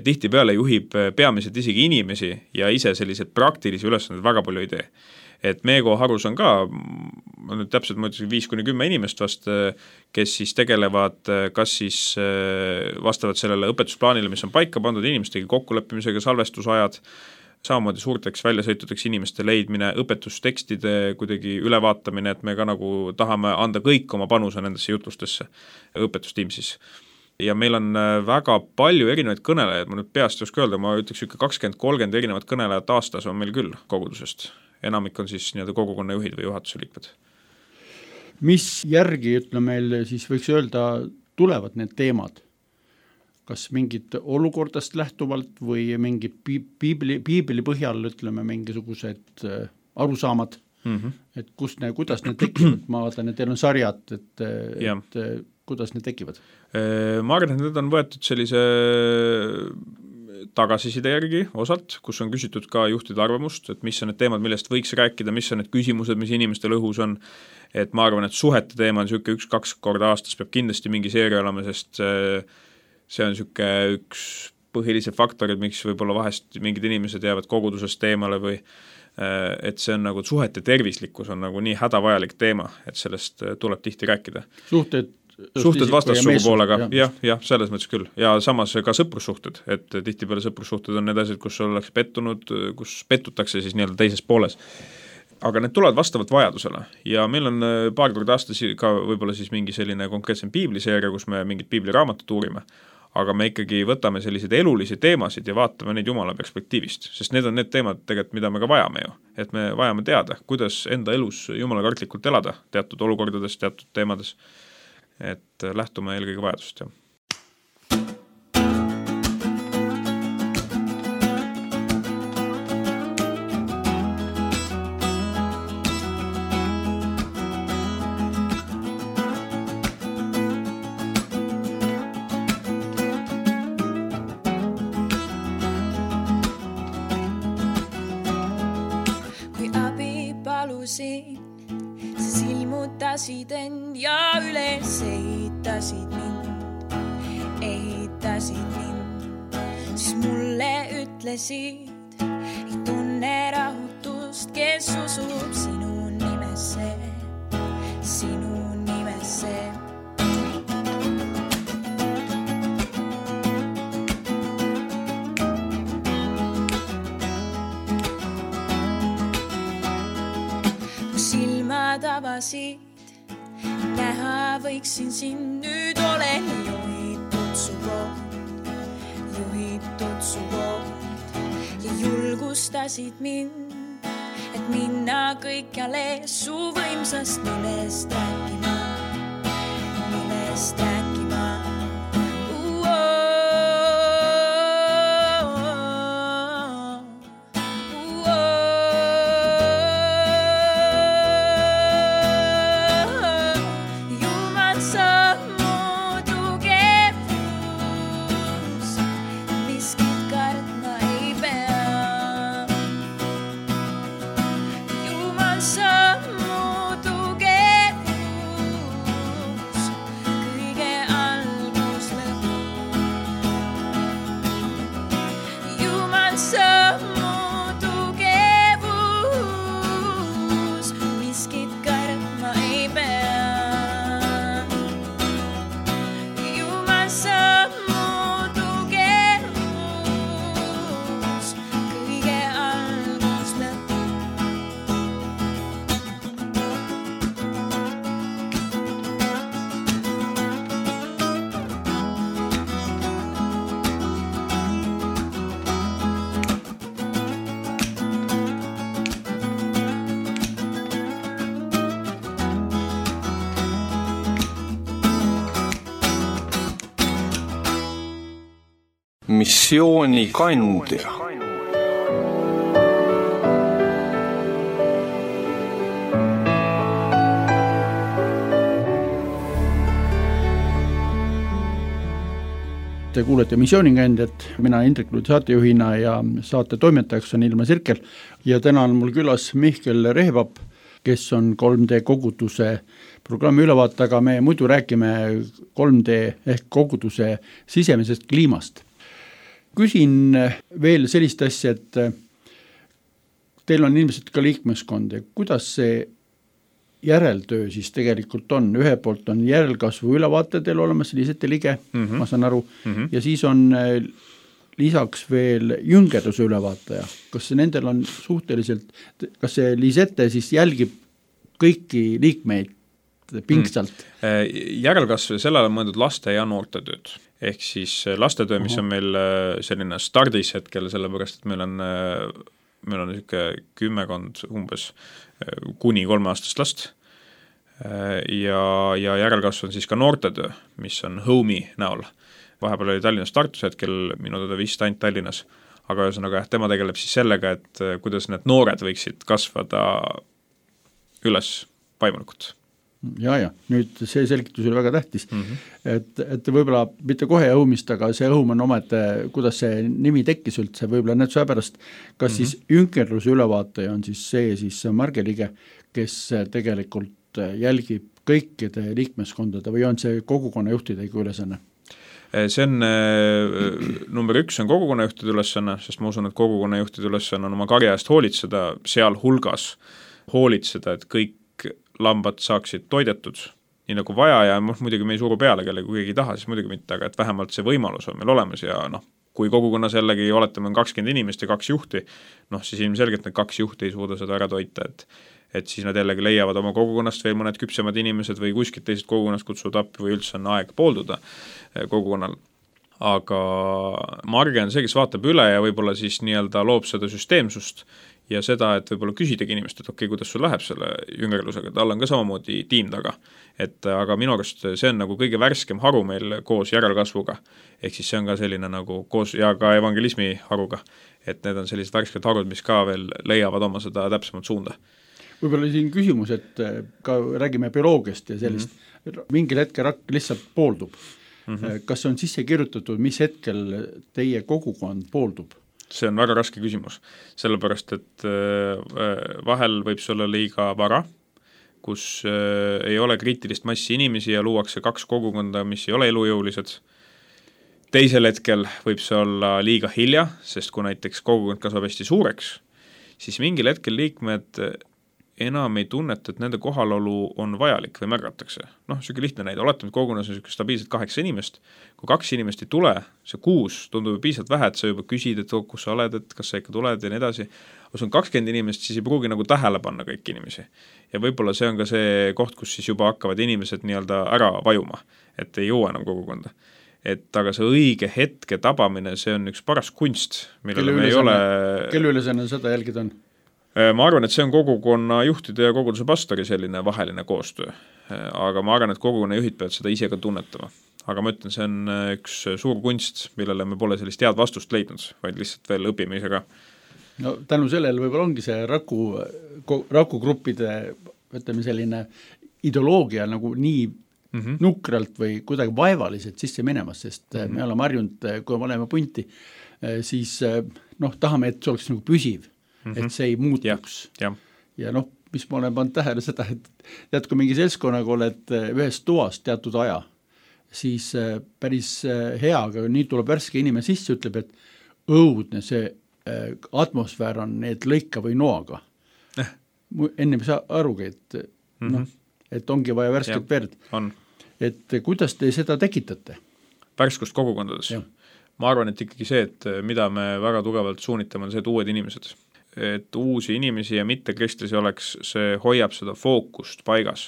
[SPEAKER 3] tihtipeale juhib peamiselt isegi inimesi ja ise sellised praktilisi ülesanded väga palju ei tee. Et Meego harus on ka, nüüd täpselt ma ütlesin viis kuni kümme inimest vast, kes siis tegelevad kas siis vastavalt sellele õpetusplaanile, mis on paika pandud inimestega kokkuleppimisega, salvestusajad, samamoodi suurteks väljasõitudeks inimeste leidmine, õpetustekstide kuidagi ülevaatamine, et me ka nagu tahame anda kõik oma panuse nendesse jutlustesse, õpetustiim siis. Ja meil on väga palju erinevaid kõnelejaid, ma nüüd peast ei oska öelda, ma ütleks ikka kakskümmend kolmkümmend erinevat kõnelejat aastas on meil küll kogudusest. Enamik on siis nii-öelda kogukonna juhid või juhatuse liikmed.
[SPEAKER 2] Mis järgi, ütleme meil siis võiks öelda, tulevad need teemad? Kas mingid olukordast lähtuvalt või mingi piibli, piibli põhjal, ütleme, mingisugused arusaamad, mm-hmm. et kust ne, kuidas need tekivad? Ma vaatan, et teil on sarjad, et, et kuidas need tekivad?
[SPEAKER 3] Ma arvan, et need on võetud sellise tagasiside järgi osalt, kus on küsitud ka juhtide arvamust, et mis on need teemad, millest võiks rääkida, mis on need küsimused, mis inimestel õhus on, et ma arvan, et suhete teema on niisugune üks-kaks korda aastas peab kindlasti mingi seeria olema, sest see on niisugune üks põhilise faktorid, miks võib-olla vahest mingid inimesed jäävad kogudusest teemale või et see on nagu suhete tervislikkus on nagu nii hädavajalik teema, et sellest tuleb tihti rääkida.
[SPEAKER 2] Suhted
[SPEAKER 3] suhted vastassugu poolega, jah, jah, selles mõttes küll. Ja samas ka sõprussuhted, et tihtipeale sõprussuhted on need asjad, kus ollakse pettunud, kus pettutakse siis nii-öelda teises pooles. Aga need tulevad vastavalt vajadusele ja meil on paar korda aastas ka võib-olla siis mingi selline konkreetsem piibliseeria, kus me mingit piibliraamatut uurime, aga me ikkagi võtame selliseid elulisi teemasid ja vaatame neid Jumala perspektiivist, sest need on need teemad tegelikult, mida me ka vajame ju, et me vajame teada, kuidas enda elus Jumala kartlikult elada teatud olukordades, teatud teemades, et lähtume eelkõige vajadust, jah.
[SPEAKER 4] Siis ilmutasid end ja üles ehitasid mind, ehitasid mind. Siis mulle ütlesid, ei tunne rahutust, kes usub sinu nimesse, sinu nimesse. Silmad avasid, näha võiksin sind, nüüd olen juhitud su poolt, juhitud su poolt ja julgustasid mind, et minna kõikjale su võimsast nimest rääkima, nimest rääkima.
[SPEAKER 1] Missioonikandja.
[SPEAKER 2] Te kuulete Missioonikandjat, mina Indrek Luud saatejuhina ja saate toimetajaks on Ilma Sirkel ja täna on mul külas Mihkel Rehvap, kes on kolm D koguduse programmi ülevaate, aga me muidu räägime kolm D ehk koguduse sisemisest kliimast. Küsin veel sellist asja, et teil on ilmselt ka liikmeskond ja kuidas see järeltöö siis tegelikult on? Ühe poolt on järelkasvu ülevaate teil olemas, Liisette Lige, mm-hmm. ma saan aru, mm-hmm. ja siis on lisaks veel jüngerduse ülevaataja. Kas nendel on suhteliselt, kas see Liisette siis jälgib kõiki liikmeid pingsalt?
[SPEAKER 3] Mm. Järelkasv, sellele on mõeldud laste ja noorte tööd. Ehk siis lastetöö, mis on meil selline stardis hetkel, sellepärast, et meil on, meil on niisugune kümmekond umbes kuni kolmeaastast last ja, ja järelkasv on siis ka noortetöö, mis on Home'i näol. Vahepeal oli Tallinnas Tartus hetkel, minu teda vist ainult Tallinnas, aga ühesõnaga tema tegeleb siis sellega, et kuidas need noored võiksid kasvada üles vaimulikult.
[SPEAKER 2] Ja, ja, nüüd see selgitus oli väga tähtis, mm-hmm. et, et võib-olla mitte kohe Home'ist, aga see Home on omete, kuidas see nimi tekkis üldse, võib-olla need seepärast, kas mm-hmm. siis jünkerluse ülevaataja on siis see siis Marge Lige, kes tegelikult jälgib kõikide liikmeskondade või on see kogukonna juhtidega ülesanne?
[SPEAKER 3] See on number üks, on kogukonnajuhtide ülesanne, sest ma usun, et kogukonnajuhtide ülesanne on oma karja eest hoolitseda, seal hulgas hoolitseda, et kõik lambad saaksid toidetud, nii nagu vaja ja muidugi me ei suru peale, kelle kui keegi ei taha, siis muidugi mitte, aga et vähemalt see võimalus on meil olemas ja noh, kui kogukonnas jällegi oletame on kakskümmend inimest ja kaks juhti, noh siis ilmselgelt need kaks juhti ei suuda seda ära toita, et et siis nad jällegi leiavad oma kogukonnast veel mõned küpsemad inimesed või kuskilt teised kogukonnast kutsuvad appi või üldse on aeg poolduda kogukonnal. Aga Marge on see, kes vaatab üle ja võib-olla siis nii-öelda loob seda süsteemsust ja seda, et võib-olla küsidagi inimest, et okei, okay, kuidas sul läheb selle jüngerlusega, tal on ka samamoodi tiim taga. Et aga minu arust see on nagu kõige värskem haru meil koos järelkasvuga, ehk siis see on ka selline nagu koos ja ka evangelismi haruga, et need on sellised värsked harud, mis ka veel leiavad oma seda täpsemat suunda.
[SPEAKER 2] Võib-olla siin küsimus, et ka räägime bioloogiast ja sellist, mm-hmm. mingil hetkel rakk lihtsalt pooldub. Mm-hmm. Kas on sisse kirjutatud, mis hetkel teie kogukond pooldub?
[SPEAKER 3] See on väga raske küsimus, sellepärast, et vahel võib see olla liiga vara, kus ei ole kriitilist massi inimesi ja luuakse kaks kogukonda, mis ei ole elujõulised. Teisel hetkel võib see olla liiga hilja, sest kui näiteks kogukond kasvab hästi suureks, siis mingil hetkel liikmed enam ei tunneta, et nende kohalolu on vajalik või märgatakse. Noh, selline lihtne näide, oletame, et kogukonnas on selline stabiilselt kaheksa inimest, kui kaks inimest ei tule, see kuus tundub piisavalt vähe, et sa juba küsid, et kus sa oled, et kas sa ikka tuled ja nii edasi. Kui on kakskümmend inimest, siis ei pruugi nagu tähele panna kõik inimesi. Ja võib-olla see on ka see koht, kus siis juba hakkavad inimesed nii-öelda ära vajuma, et ei jõua enam kogukonda. Et aga see õige hetke tabamine, see on üks paras kunst, millele me ei ole...
[SPEAKER 2] Kelle ülesanne seda jälgida on?
[SPEAKER 3] Ma arvan, et see on kogukonna juhtide ja koguduse pastori selline vaheline koostöö, aga ma arvan, et kogukonna juhid peavad seda ise ka tunnetama. Aga ma ütlen, see on üks suur kunst, millele me pole sellist head vastust leidnud, vaid lihtsalt veel õpime ise ka.
[SPEAKER 2] No tänu sellele võib-olla ongi see raku, rakugruppide ütleme selline ideoloogia nagu nii mm-hmm. nukralt või kuidagi vaevaliselt sisse minemas, sest mm-hmm. me oleme harjunud, kui me oleme punti, siis noh, tahame, et see oleks nagu püsiv. Mm-hmm. et see ei muutuks. Ja, ja. ja noh, mis ma olen pannud tähele seda, et tead, kui mingi seltskonnaga oled ühes toas teatud aja, siis päris hea, aga nii tuleb värske inimene sisse, ütleb, et õudne see atmosfäär on need lõika või noaga. Eh. Enne ei saa arugi, et, mm-hmm. noh, et ongi vaja värsket ja, verd.
[SPEAKER 3] On.
[SPEAKER 2] Et kuidas te seda tekitate?
[SPEAKER 3] Värskust kogukondades. Ja. Ma arvan, et ikkagi see, et mida me väga tugevalt suunitame, on see, et uued inimesed. Et uusi inimesi ja mitte kristlasi oleks, see hoiab seda fookust paigas.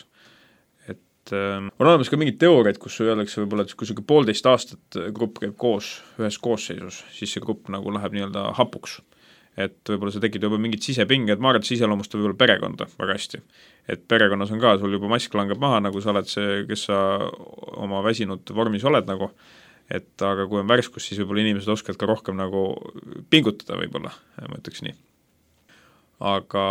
[SPEAKER 3] Et äh, on olemas ka mingid teooriad, kus öeldakse võib-olla, et kui selline poolteist aastat grupp käib koos, ühes koosseisus, siis see grupp nagu läheb nii-öelda hapuks. Et võib-olla see tekib juba mingid sisepinged, ma arvan, et see iseloomustab võib-olla perekonda väga hästi. Et perekonnas on ka, sul juba mask langeb maha, nagu sa oled see, kes sa oma väsinud vormis oled nagu, et aga kui on värskus, siis võib-olla inimesed oskavad ka rohkem nagu pingutada võib-olla, ma ütleks nii. Aga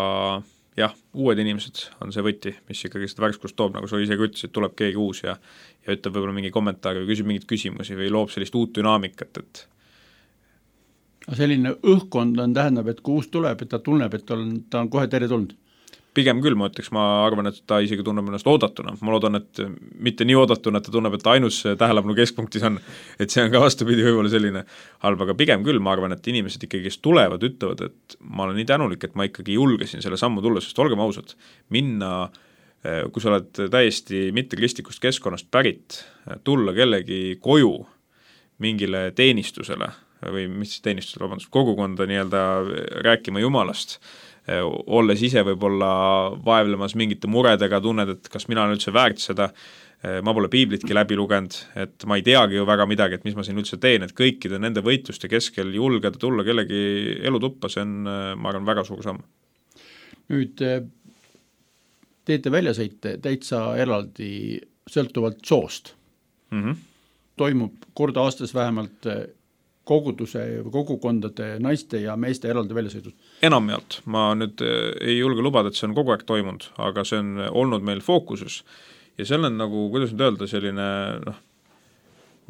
[SPEAKER 3] jah, uued inimesed on see võti, mis ikkagi seda värskust toob, nagu sa ise ka ütlesid, tuleb keegi uus ja, ja ütleb võib-olla mingi kommentaari või küsib mingid küsimusi või loob sellist uut dünaamikat, et
[SPEAKER 2] selline õhkkond on tähendab, et kui uus tuleb, et ta tunneb, et ta on, ta on kohe tere tulnud.
[SPEAKER 3] Pigem küll, ma ütleks, ma arvan, et ta isegi tunneb ennast oodatuna. Ma loodan, et mitte nii oodatuna, et ta tunneb, et ta ainus tähelepanu keskpunktis on, et see on ka vastupidi võib-olla selline halb, aga pigem küll, ma arvan, et inimesed ikkagi, kes tulevad, ütlevad, et ma olen nii tänulik, et ma ikkagi julgesin selle sammu tulla, sest olgem ausad, minna, kui sa oled täiesti mitte kristlikust keskkonnast pärit, tulla kellegi koju mingile teenistusele või mis teenistusele, vabandust, kogukonda nii-öelda rääkima Jumalast, olles ise võib-olla vaevlemas mingite muredega, tunned, et kas mina olen üldse väärt seda, ma pole piiblitki läbi lugenud, et ma ei teagi ju väga midagi, et mis ma siin üldse teen, et kõikide nende võitluste keskel julgeda tulla kellegi elutuppa, see on, ma arvan, väga suur samm.
[SPEAKER 2] Nüüd teete väljasõite täitsa eraldi sõltuvalt soost. Mm-hmm. Toimub korda aastas vähemalt koguduse, kogukondade, naiste ja meeste eraldi väljasõidud?
[SPEAKER 3] Enamjaolt. Ma nüüd ei julge lubada, et see on kogu aeg toimunud, aga see on olnud meil fookuses. Ja seal on nagu, kuidas nüüd öelda, selline, noh,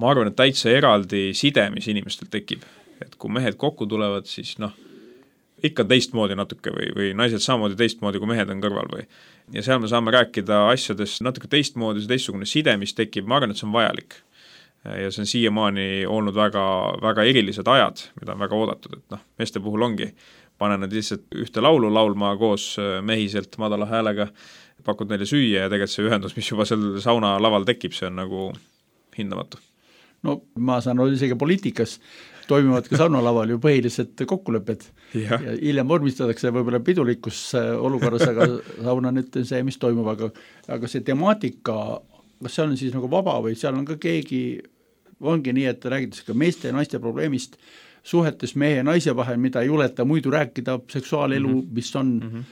[SPEAKER 3] ma arvan, et täitsa eraldi side, mis inimestel tekib. Et kui mehed kokku tulevad, siis noh, ikka teistmoodi natuke või, või naised samamoodi teistmoodi, kui mehed on kõrval või. Ja seal me saame rääkida asjadest natuke teistmoodi, see teistsugune side, mis tekib, ma arvan, et see on vajalik. ja see on siiamaani olnud väga, väga erilised ajad, mida on väga oodatud, et noh, meeste puhul ongi, pane nad lihtsalt ühte laulu laulma koos mehiselt madala häälega, pakud neile süüa ja tegelikult see ühendus, mis juba seal sauna laval tekib, see on nagu hindamatu.
[SPEAKER 2] No ma saan olla isegi poliitikas, toimivad ka saunalaval ju põhilised kokkulepped ja, ja hiljem vormistatakse võib-olla pidulikus olukorras, aga sauna nüüd see, mis toimub, aga, aga see temaatika, kas see on siis nagu vaba või seal on ka keegi, ongi nii, et räägitakse ka meeste ja naiste probleemist, suhetes mehe ja naise vahel, mida ei juleta muidu rääkida, seksuaalelu, mm -hmm. mis on, mm -hmm.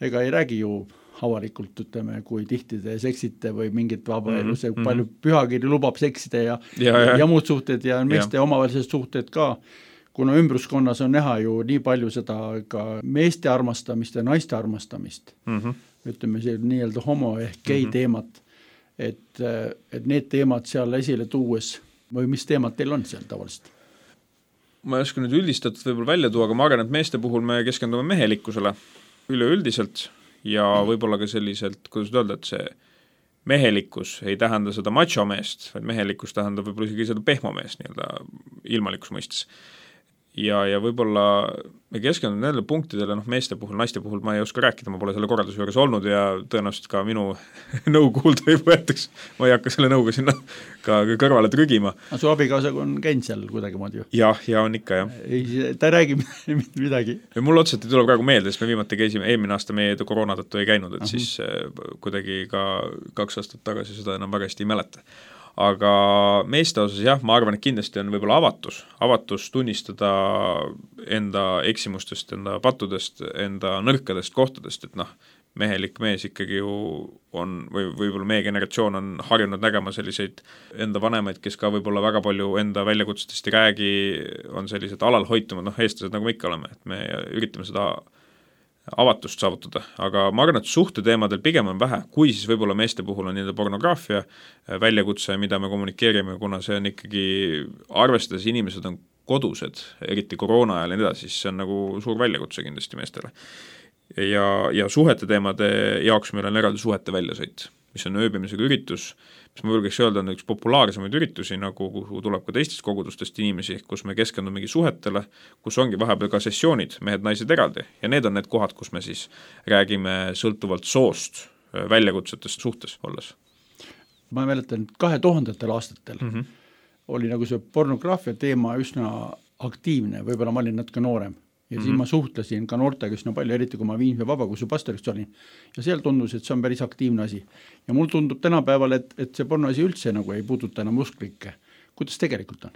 [SPEAKER 2] ega ei räägi ju avalikult, ütleme, kui tihti te seksite või mingit vabaelu, see mm -hmm. palju pühakiri lubab seksida ja, ja, ja. ja muud suhted ja meeste ja. omavahelised suhted ka, kuna ümbruskonnas on näha ju nii palju seda ka meeste armastamist ja naiste armastamist, mm -hmm. ütleme see nii-öelda homo ehk gei mm -hmm. teemat, et, et need teemad seal esile tuues või mis teemad teil on seal tavaliselt?
[SPEAKER 3] Ma ei oska nüüd üldistatud võib-olla välja tuua, aga ma arvan, et meeste puhul me keskendume mehelikkusele üleüldiselt ja võib-olla ka selliselt, kuidas öelda, et see mehelikkus ei tähenda seda macho meest, vaid mehelikkus tähendab võib-olla isegi seda pehmo meest nii-öelda ilmalikus mõistes. Ja, ja võib-olla me keskendume nendele punktidele, noh meeste puhul, naiste puhul ma ei oska rääkida, ma pole selle korralduse juures olnud ja tõenäoliselt ka minu nõu kuulda ei võetaks, ma ei hakka selle nõuga sinna ka kõrvale trügima.
[SPEAKER 2] Aga su abikaasaga on käinud seal kuidagi moodi ju?
[SPEAKER 3] Jah, ja on ikka, jah.
[SPEAKER 2] Ei, ta ei räägi midagi.
[SPEAKER 3] Mul otseselt ei tule praegu meelde, sest me viimati käisime, eelmine aasta meie koroona tõttu ei käinud, et Ahum. siis kuidagi ka kaks aastat tagasi seda enam väga hästi ei mäleta. Aga meeste osas jah, ma arvan, et kindlasti on võib-olla avatus, avatus tunnistada enda eksimustest, enda pattudest, enda nõrkadest kohtadest, et noh, mehelik mees ikkagi ju on, või võib-olla meie generatsioon on harjunud nägema selliseid enda vanemaid, kes ka võib-olla väga palju enda väljakutsetest ei räägi, on sellised alalhoitumad, noh, eestlased nagu me ikka oleme, et me üritame seda avatust saavutada, aga ma arvan, et suhteteemadel pigem on vähe, kui siis võib-olla meeste puhul on nii-öelda pornograafia väljakutse, mida me kommunikeerime, kuna see on ikkagi, arvestades inimesed on kodused, eriti koroona ajal ja nii edasi, siis see on nagu suur väljakutse kindlasti meestele. Ja, ja suhete teemade jaoks meil on eraldi suhete väljasõit, mis on ööbimisega üritus, mis ma võlgeks öelda on üks populaarsemaid üritusi, nagu kuhu tuleb ka teistest kogudustest inimesi, kus me keskendumegi suhetele, kus ongi vahepeal ka sessioonid, mehed-naised eraldi ja need on need kohad, kus me siis räägime sõltuvalt soost väljakutsetest suhtes olles.
[SPEAKER 2] Ma mäletan, kahe tuhandetel aastatel mm -hmm. oli nagu see pornograafia teema üsna aktiivne, võib-olla ma olin natuke noorem. Ja siis mm-hmm. ma suhtlesin ka noortega üsna palju, eriti kui ma Viimsi vabakusu pastoriks olin. Ja seal tundus, et see on päris aktiivne asi. Ja mul tundub tänapäeval, et, et see pornoasi üldse nagu ei puuduta enam usklikke. Kuidas tegelikult on?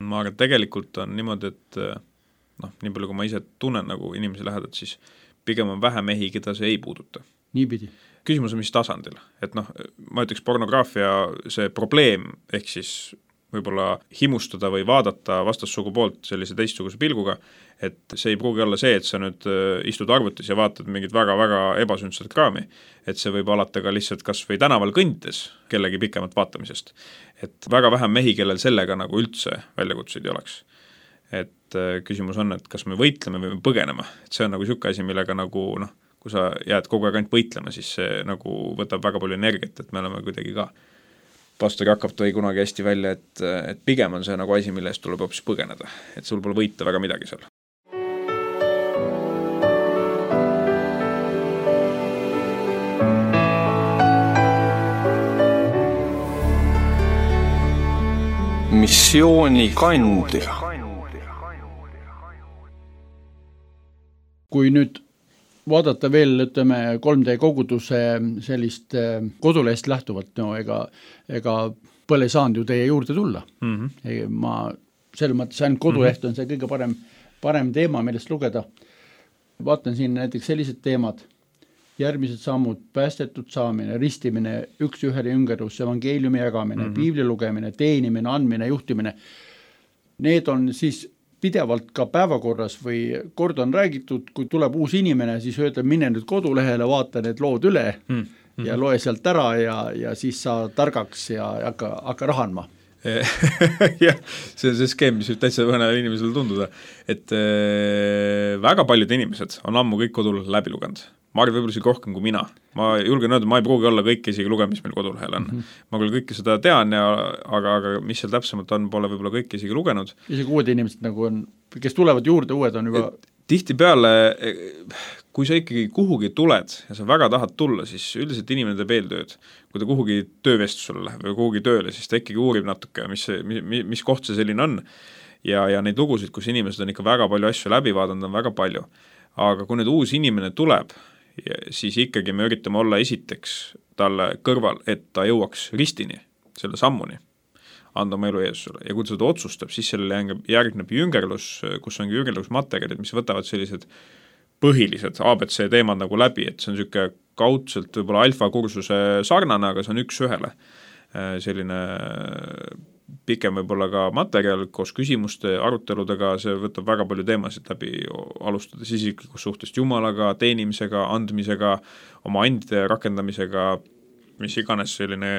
[SPEAKER 3] Ma arvan, tegelikult on niimoodi, et noh, nii palju kui ma ise tunnen nagu inimesi lähedalt, siis pigem on vähe mehi, keda see ei puuduta.
[SPEAKER 2] Niipidi.
[SPEAKER 3] Küsimus on mis tasandil. Et noh, ma ütleks pornograafia see probleem, ehk siis võib-olla himustada või vaadata vastassugu poolt sellise teistsuguse pilguga, et see ei pruugi olla see, et sa nüüd istud arvutis ja vaatad mingit väga-väga ebasündsat kraami, et see võib alata ka lihtsalt kas või tänaval kõndides kellegi pikemat vaatamisest. Et väga vähe mehi, kellel sellega nagu üldse väljakutseid ei oleks. Et küsimus on, et kas me võitleme või me põgeneme, et see on nagu siuke asi, millega nagu noh, kui sa jääd kogu aeg ainult võitlema, siis see nagu võtab väga palju energiat, et me oleme kuidagi ka pastori hakkab tõi kunagi hästi välja, et, et pigem on see nagu asi, mille eest tuleb hoopis põgeneda, et sul pole võita väga midagi seal.
[SPEAKER 1] Missiooni kandja.
[SPEAKER 2] Kui nüüd vaadata veel, ütleme, kolm D koguduse sellist kodulehest lähtuvalt, no ega, ega pole saanud ju teie juurde tulla. Mm -hmm. Ma selles mõttes ainult koduleht on see kõige parem, parem teema, millest lugeda. Vaatan siin näiteks sellised teemad, järgmised sammud, päästetud saamine, ristimine, üks ühele üngerus, evangeeliumi jagamine, mm -hmm. piibli lugemine, teenimine, andmine, juhtimine. Need on siis pidevalt ka päevakorras või kord on räägitud, kui tuleb uus inimene, siis öelda, mine nüüd kodulehele, vaata need lood üle mm -hmm. ja loe sealt ära ja, ja siis saa targaks ja hakka, hakka rahanma.
[SPEAKER 3] jah, see on see skeem, mis võib täitsa mõnele inimesele tunduda, et äh, väga paljud inimesed on ammu kõik kodul läbi lugenud. ma arvan võib-olla isegi rohkem kui mina. Ma julgen öelda, ma ei pruugi olla kõike isegi lugenud, mis meil kodulehel on. Mm -hmm. Ma küll kõike seda tean, ja, aga, aga mis seal täpsemalt on, pole võib-olla kõike isegi lugenud.
[SPEAKER 2] Isegi uued inimesed nagu on, kes tulevad juurde, uued on juba...
[SPEAKER 3] Tihtipeale, kui sa ikkagi kuhugi tuled ja sa väga tahad tulla, siis üldiselt inimene teeb eeltööd. Kui ta kuhugi töövestlusele läheb või kuhugi tööle, siis ta ikkagi uurib natuke, mis, mis, mis koht see selline on. Ja, ja neid lugusid, kus inimesed on ikka väga palju asju läbi vaadanud, on väga palju. Aga kui nüüd uus inimene tuleb, siis ikkagi me üritame olla esiteks talle kõrval, et ta jõuaks ristini, selle sammuni, anda oma elu Jeesusele. Ja kui ta seda otsustab, siis sellele järgneb jüngerlus, kus ongi jüngerlusmaterjalid, mis võtavad sellised põhilised A B C teemad nagu läbi, et see on niisugune kaudselt võib-olla alfa-kursuse sarnane, aga see on üks ühele. Selline pikem võib-olla ka materjal koos küsimuste aruteludega, see võtab väga palju teemasid läbi, alustades isiklikust suhtest Jumalaga, teenimisega, andmisega, oma andide rakendamisega, mis iganes selline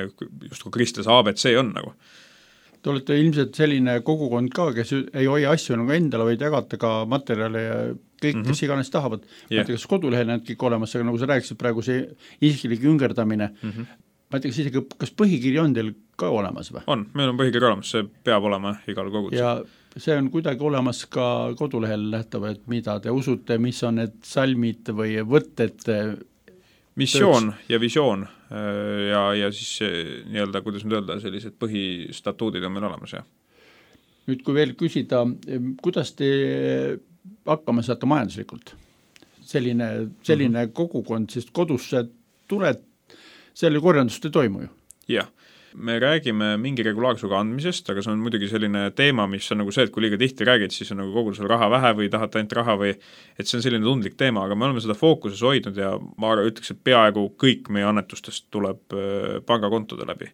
[SPEAKER 3] just kui Kristus A B C on nagu.
[SPEAKER 2] Te olete ilmselt selline kogukond ka, kes ei hoia asju nagu endale, vaid jagate ka materjale ja kõik, mm -hmm. kes iganes tahavad. Yeah. Ma ei tea, kas kodulehel need kõik olemas, aga nagu sa rääkisid praegu see isiklik üngerdamine, mm -hmm. ma ei tea, kas isegi, kas põhikiri on teil ka olemas või?
[SPEAKER 3] On, meil on põhikiri olemas, see peab olema igal kogudusel.
[SPEAKER 2] Ja see on kuidagi olemas ka kodulehel nähtav, et mida te usute, mis on need salmid või võtted?
[SPEAKER 3] Missioon ja visioon ja, ja siis nii-öelda, kuidas nüüd öelda, sellised põhistatuudid on meil olemas, jah.
[SPEAKER 2] Nüüd, kui veel küsida, kuidas te hakkama saate majanduslikult? Selline, selline mm -hmm. kogukond, sest kodusse tuled, selle korjandust ei toimu ju.
[SPEAKER 3] Jah, me räägime mingi regulaarsuga andmisest, aga see on muidugi selline teema, mis on nagu see, et kui liiga tihti räägid, siis on nagu kogu sul raha vähe või tahad ainult raha või et see on selline tundlik teema, aga me oleme seda fookuses hoidnud ja ma ütleks, et peaaegu kõik meie annetustest tuleb pangakontode läbi.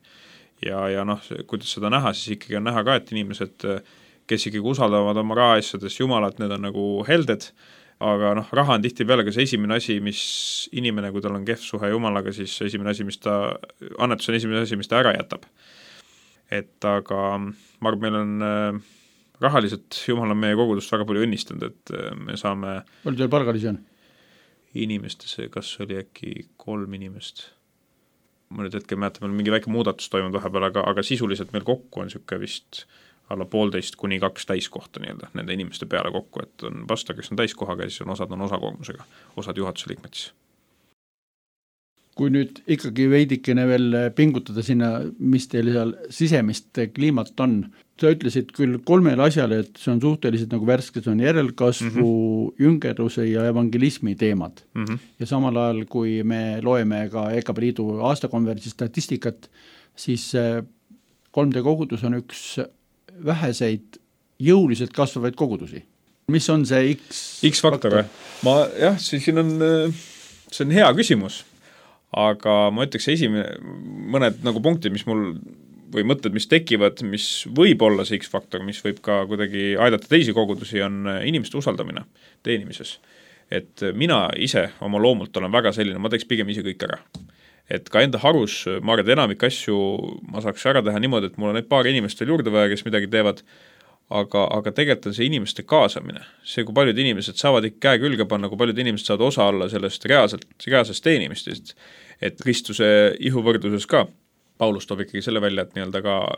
[SPEAKER 3] Ja, ja noh, kuidas seda näha, siis ikkagi on näha ka, et inimesed, kes ikkagi usaldavad oma rahaasjades Jumalat, need on nagu helded, aga noh, raha on tihtipeale ka see esimene asi, mis inimene, kui tal on kehv suhe Jumalaga, siis esimene asi, mis ta, annetus on esimene asi, mis ta ära jätab. Et aga ma arvan, meil on äh, rahaliselt, Jumal on meie kogudust väga palju õnnistanud, et äh, me saame
[SPEAKER 2] palju teil palgalisi on?
[SPEAKER 3] Inimestesse, kas oli äkki kolm inimest? Ma nüüd hetkel mäletan, meil mingi väike muudatus toimunud vahepeal, aga, aga sisuliselt meil kokku on niisugune vist alla poolteist kuni kaks täiskohta nii-öelda nende inimeste peale kokku, et on pastor, kes on täiskohaga ja siis on osad on osakoormusega, osad juhatuse liikmed siis.
[SPEAKER 2] Kui nüüd ikkagi veidikene veel pingutada sinna, mis teil seal sisemist kliimat on, sa ütlesid küll kolmele asjale, et see on suhteliselt nagu värske, see on järelkasvu, mm -hmm. jüngerluse ja evangelismi teemad. Mm -hmm. Ja samal ajal, kui me loeme ka E K P Liidu aastakonverentsi statistikat, siis kolm D kogudus on üks väheseid jõuliselt kasvavaid kogudusi. Mis on see X?
[SPEAKER 3] X-faktor või? Ma jah, siin on, see on hea küsimus, aga ma ütleks esimene, mõned nagu punktid, mis mul või mõtted, mis tekivad, mis võib olla see X-faktor, mis võib ka kuidagi aidata teisi kogudusi, on inimeste usaldamine teenimises. Et mina ise oma loomult olen väga selline, ma teeks pigem ise kõik ära. Et ka enda harus, ma arvan, et enamik asju ma saaks ära teha niimoodi, et mul on need paar inimest veel juurde vaja, kes midagi teevad, aga, aga tegelikult on see inimeste kaasamine. See, kui paljud inimesed saavad ikka käe külge panna, kui paljud inimesed saavad osa olla sellest reaalselt, reaalsest teenimistest, et Kristuse ihuvõrdluses ka Paulus toob ikkagi selle välja, et nii-öelda ka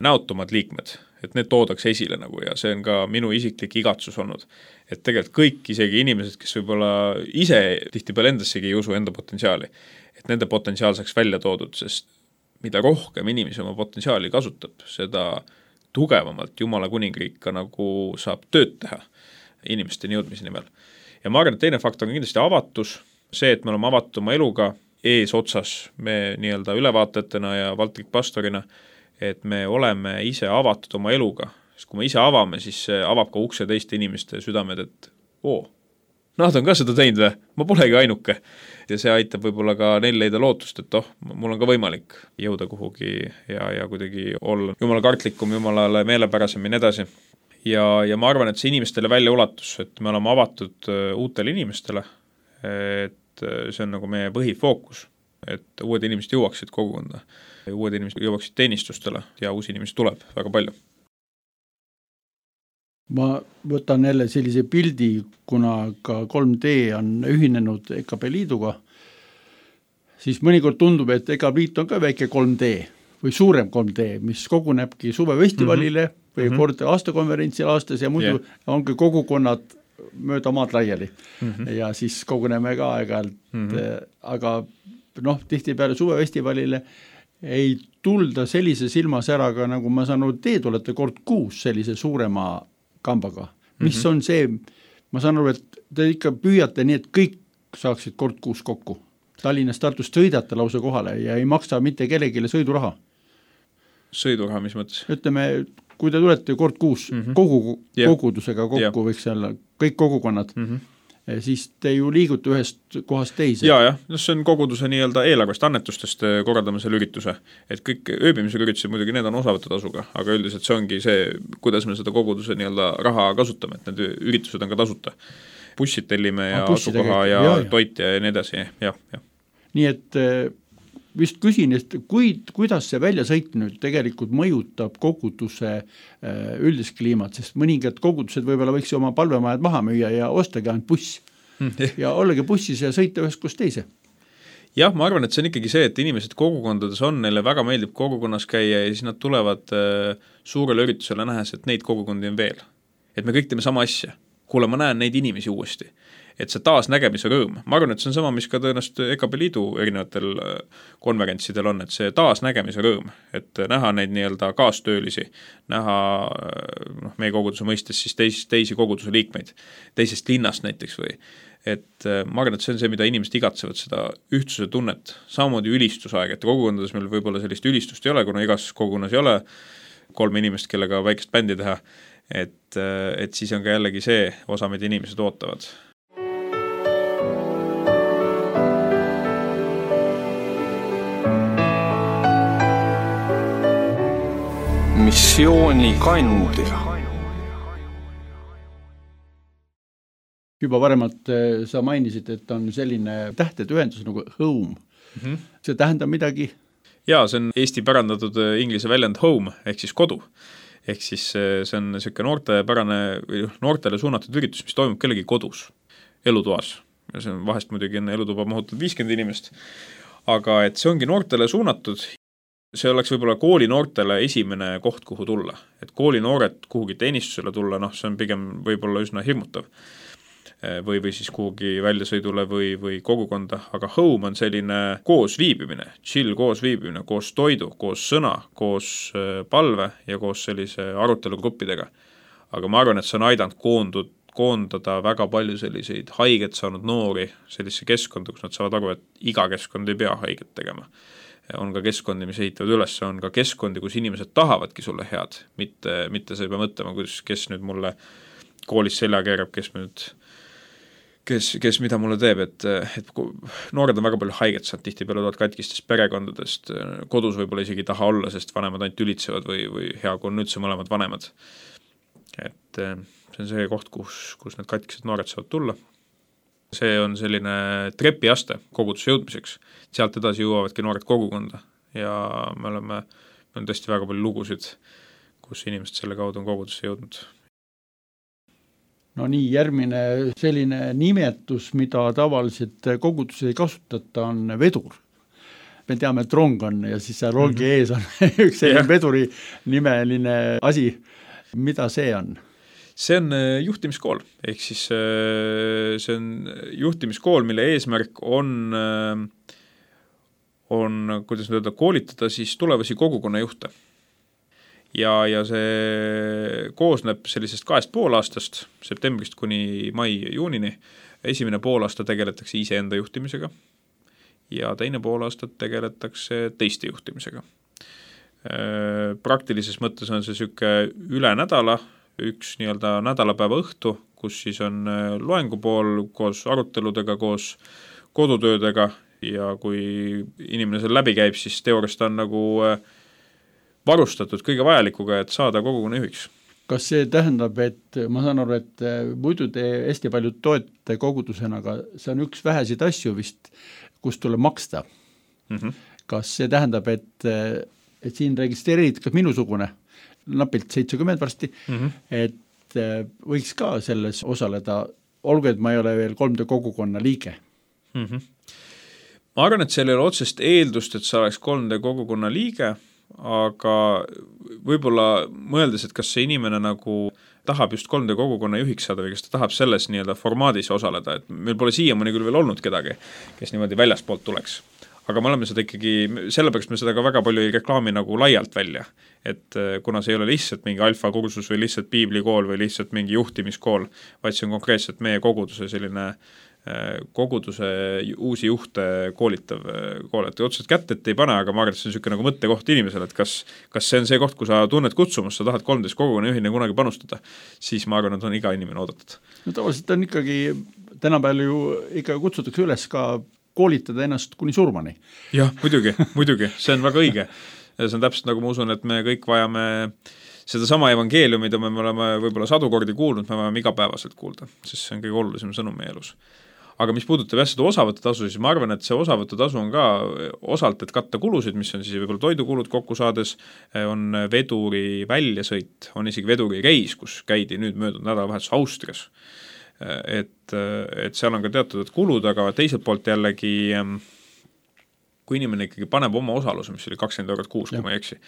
[SPEAKER 3] näotumad liikmed, et need toodakse esile nagu ja see on ka minu isiklik igatsus olnud. Et tegelikult kõik isegi inimesed, kes võib-olla ise tihtipeale endassegi ei usu enda potentsiaali, et nende potentsiaal saaks välja toodud, sest mida rohkem inimesi oma potentsiaali kasutab, seda tugevamalt Jumala kuningriik ka nagu saab tööd teha inimesteni jõudmise nimel. Ja ma arvan, et teine faktor on kindlasti avatus, see, et me oleme avatud oma eluga ees otsas, me nii-öelda ülevaatajatena ja Valtrik pastorina, et me oleme ise avatud oma eluga, sest kui me ise avame, siis see avab ka ukse teiste inimeste südamed, et oo, nad on ka seda teinud või? Ma polegi ainuke. Ja see aitab võib-olla ka neil leida lootust, et oh, mul on ka võimalik jõuda kuhugi ja, ja kuidagi olla Jumala kartlikum, Jumalale meelepärasem ja nii edasi. Ja, ja ma arvan, et see inimestele välja ulatus, et me oleme avatud uutele inimestele, et see on nagu meie põhifookus, et uued inimesed jõuaksid kogukonda, uued inimesed jõuaksid teenistustele ja uusi inimesi tuleb väga palju.
[SPEAKER 2] ma võtan jälle sellise pildi, kuna ka kolm D on ühinenud E K P Liiduga, siis mõnikord tundub, et E K P Liit on ka väike kolm D või suurem kolm D, mis kogunebki suvefestivalile mm -hmm. või kord aastakonverentsil aastas ja muidu yeah. ongi kogukonnad mööda maad laiali mm -hmm. ja siis koguneme ka aeg-ajalt mm, -hmm. aga noh, tihtipeale suvefestivalile ei tulda sellise silmasäraga, nagu ma saan aru, te tulete kord kuus sellise suurema kambaga. Mis mm -hmm. on see, ma saan aru, et te ikka püüate nii, et kõik saaksid kord kuus kokku. Tallinnast Tartust sõidate lausa kohale ja ei maksa mitte kellegile sõiduraha.
[SPEAKER 3] Sõiduraha, mis mõttes?
[SPEAKER 2] Ütleme, kui te tulete kord kuus mm -hmm. kogu, kogudusega kokku, yeah. võiks olla kõik kogukonnad, mm -hmm. siis te ju liigute ühest kohast teise.
[SPEAKER 3] Ja, jah, no see on koguduse nii-öelda eelarvest annetustest korraldame selle ürituse, et kõik ööbimisega üritused muidugi need on osavõtte tasuga, aga üldiselt see ongi see, kuidas me seda koguduse nii-öelda raha kasutame, et need üritused on ka tasuta. Bussid tellime ja asukoha ja, ja toit ja nii edasi, jah, jah.
[SPEAKER 2] Nii et vist küsin, et kui, kuidas see väljasõit nüüd tegelikult mõjutab koguduse üldist kliimat, sest mõningad kogudused võib-olla võiks oma palvemajad maha müüa ja ostagi ainult buss ja ollegi bussis ja sõita ühest kus teise.
[SPEAKER 3] Jah, ma arvan, et see on ikkagi see, et inimesed kogukondades on, neile väga meeldib kogukonnas käia ja siis nad tulevad suurele üritusele nähes, et neid kogukondi on veel. Et me kõik teeme sama asja. Kuule, ma näen neid inimesi uuesti. Et see taasnägemise rõõm. Ma arvan, et see on sama, mis ka tõenäoliselt E K P Liidu erinevatel konverentsidel on, et see taasnägemise rõõm, et näha neid nii-öelda kaastöölisi, näha noh, meie koguduse mõistes siis teis, teisi koguduse liikmeid, teisest linnast näiteks või. Et ma arvan, et see on see, mida inimesed igatsevad, seda ühtsuse tunnet, samamoodi ülistusaeg, et kogukondades meil võib-olla sellist ülistust ei ole, kuna igas kogukonnas ei ole kolm inimest, kellega väikest bändi teha, et, et siis on ka jällegi see osa, mida inimesed ootavad.
[SPEAKER 1] Missiooni kandja.
[SPEAKER 2] Juba varemalt sa mainisid, et on selline tähtede ühendus nagu home. Mm-hmm. See tähendab midagi?
[SPEAKER 3] Jaa, see on Eesti pärandatud inglise väljend home, ehk siis kodu. Ehk siis see on selline noorte pärane, või noortele suunatud üritus, mis toimub kellegi kodus, elutoas. Ja see on vahest muidugi on elutuba mahutatud viiskümmend inimest. Aga et see ongi noortele suunatud, see oleks võib-olla koolinoortele esimene koht, kuhu tulla. Et koolinoored kuhugi teenistusele tulla, noh, see on pigem võib-olla üsna hirmutav. Või, või siis kuhugi väljasõidule või, või kogukonda, aga home on selline koos viibimine, chill koos viibimine, koos toidu, koos sõna, koos palve ja koos sellise arutelugruppidega. Aga ma arvan, et see on aidanud koondud, koondada väga palju selliseid haiget saanud noori sellise keskkonda, kus nad saavad aru, et iga keskkond ei pea haiget tegema. On ka keskkondi, mis ehitavad üles, on ka keskkondi, kus inimesed tahavadki sulle head, mitte, mitte sa ei pea mõtlema, kus, kes nüüd mulle koolis selja keerab, kes nüüd kes, kes mida mulle teeb, et, et noored on väga palju haiget saanud, tihtipeale tulevad katkistest perekondadest, kodus võib-olla isegi taha olla, sest vanemad ainult ülitsevad või, või hea, kui on üldse mõlemad vanemad. Et see on see koht, kus, kus need katkised noored saavad tulla. See on selline trepiaste kogudusse jõudmiseks. Sealt edasi jõuavadki noored kogukonda ja me oleme, me on tõesti väga palju lugusid, kus inimesed selle kaudu on kogudusse jõudnud.
[SPEAKER 2] No nii, järgmine selline nimetus, mida tavaliselt koguduses ei kasutata, on vedur. Me teame, et rong on ja siis seal rongi mm-hmm. ees on üks selline yeah. veduri nimeline asi. Mida see on?
[SPEAKER 3] See on juhtimiskool, ehk siis see on juhtimiskool, mille eesmärk on, on kuidas öelda, koolitada siis tulevasi kogukonnajuhte. Ja, ja see koosneb sellisest kahest poolaastast, septembrist kuni mai-juunini. Esimene poolaasta tegeletakse iseenda juhtimisega ja teine poolaastat tegeletakse teiste juhtimisega. Praktilises mõttes on see süke üle nädala, üks nii-öelda nädalapäeva õhtu, kus siis on loengupool koos aruteludega, koos kodutöödega ja kui inimene seal läbi käib, siis teooriast on nagu varustatud kõige vajalikuga, et saada kogukonna juhiks.
[SPEAKER 2] Kas see tähendab, et ma saan aru, et muidu te hästi palju toete kogudusena, aga see on üks vähesid asju vist, kus tuleb maksta. Mm-hmm. Kas see tähendab, et, et siin registreerid kas minusugune, napilt seitsekümmend varsti, mm-hmm. et võiks ka selles osaleda, olgu, et ma ei ole veel kolm D kogukonna liige.
[SPEAKER 3] Mm-hmm. Ma arvan, et seal ei ole otsest eeldust, et sa oleks kolm D kogukonna liige, aga võib-olla mõeldes, et kas see inimene nagu tahab just kolm D kogukonna juhiks saada või kas ta tahab selles nii-öelda formaadis osaleda, et meil pole siiamaani küll veel olnud kedagi, kes niimoodi väljaspoolt tuleks. Aga me oleme seda ikkagi, sellepärast me seda ka väga palju ei reklaami nagu laialt välja, et kuna see ei ole lihtsalt mingi alfa kursus või lihtsalt piiblikool või lihtsalt mingi juhtimiskool, vaid see on konkreetselt meie koguduse selline koguduse uusi juhte koolitav kool, et otseselt kätt ette ei pane, aga ma arvan, et see on niisugune nagu mõttekoht inimesele, et kas, kas see on see koht, kui sa tunned kutsumust, sa tahad kolmteist kogukonna juhina kunagi panustada, siis ma arvan, et on iga inimene oodatud. No
[SPEAKER 2] tavaliselt on ikkagi, tänapäeval ju ikka kutsutakse üles ka koolitada ennast kuni surmani.
[SPEAKER 3] Jah, muidugi, muidugi, see on väga õige. See on täpselt nagu ma usun, et me kõik vajame seda sama evangeeliumi, mida me oleme võib-olla sadu kordi kuulnud, me vajame igapäevaselt kuulda, sest see on kõige olulisem sõnum meie elus. Aga mis puudutab jah seda osavõtutasu, siis ma arvan, et see osavõtutasu on ka osalt, et katta kulusid, mis on siis võib-olla toidukulud kokku saades, on veduri väljasõit, on isegi veduri reis, kus käidi nüüd möödunud nädalavahetus Austrias. Et, et seal on ka teatud kulud, aga teiselt poolt jällegi, kui inimene ikkagi paneb oma osaluse, mis oli kakskümmend eurot kuus, kui ma ei eksi,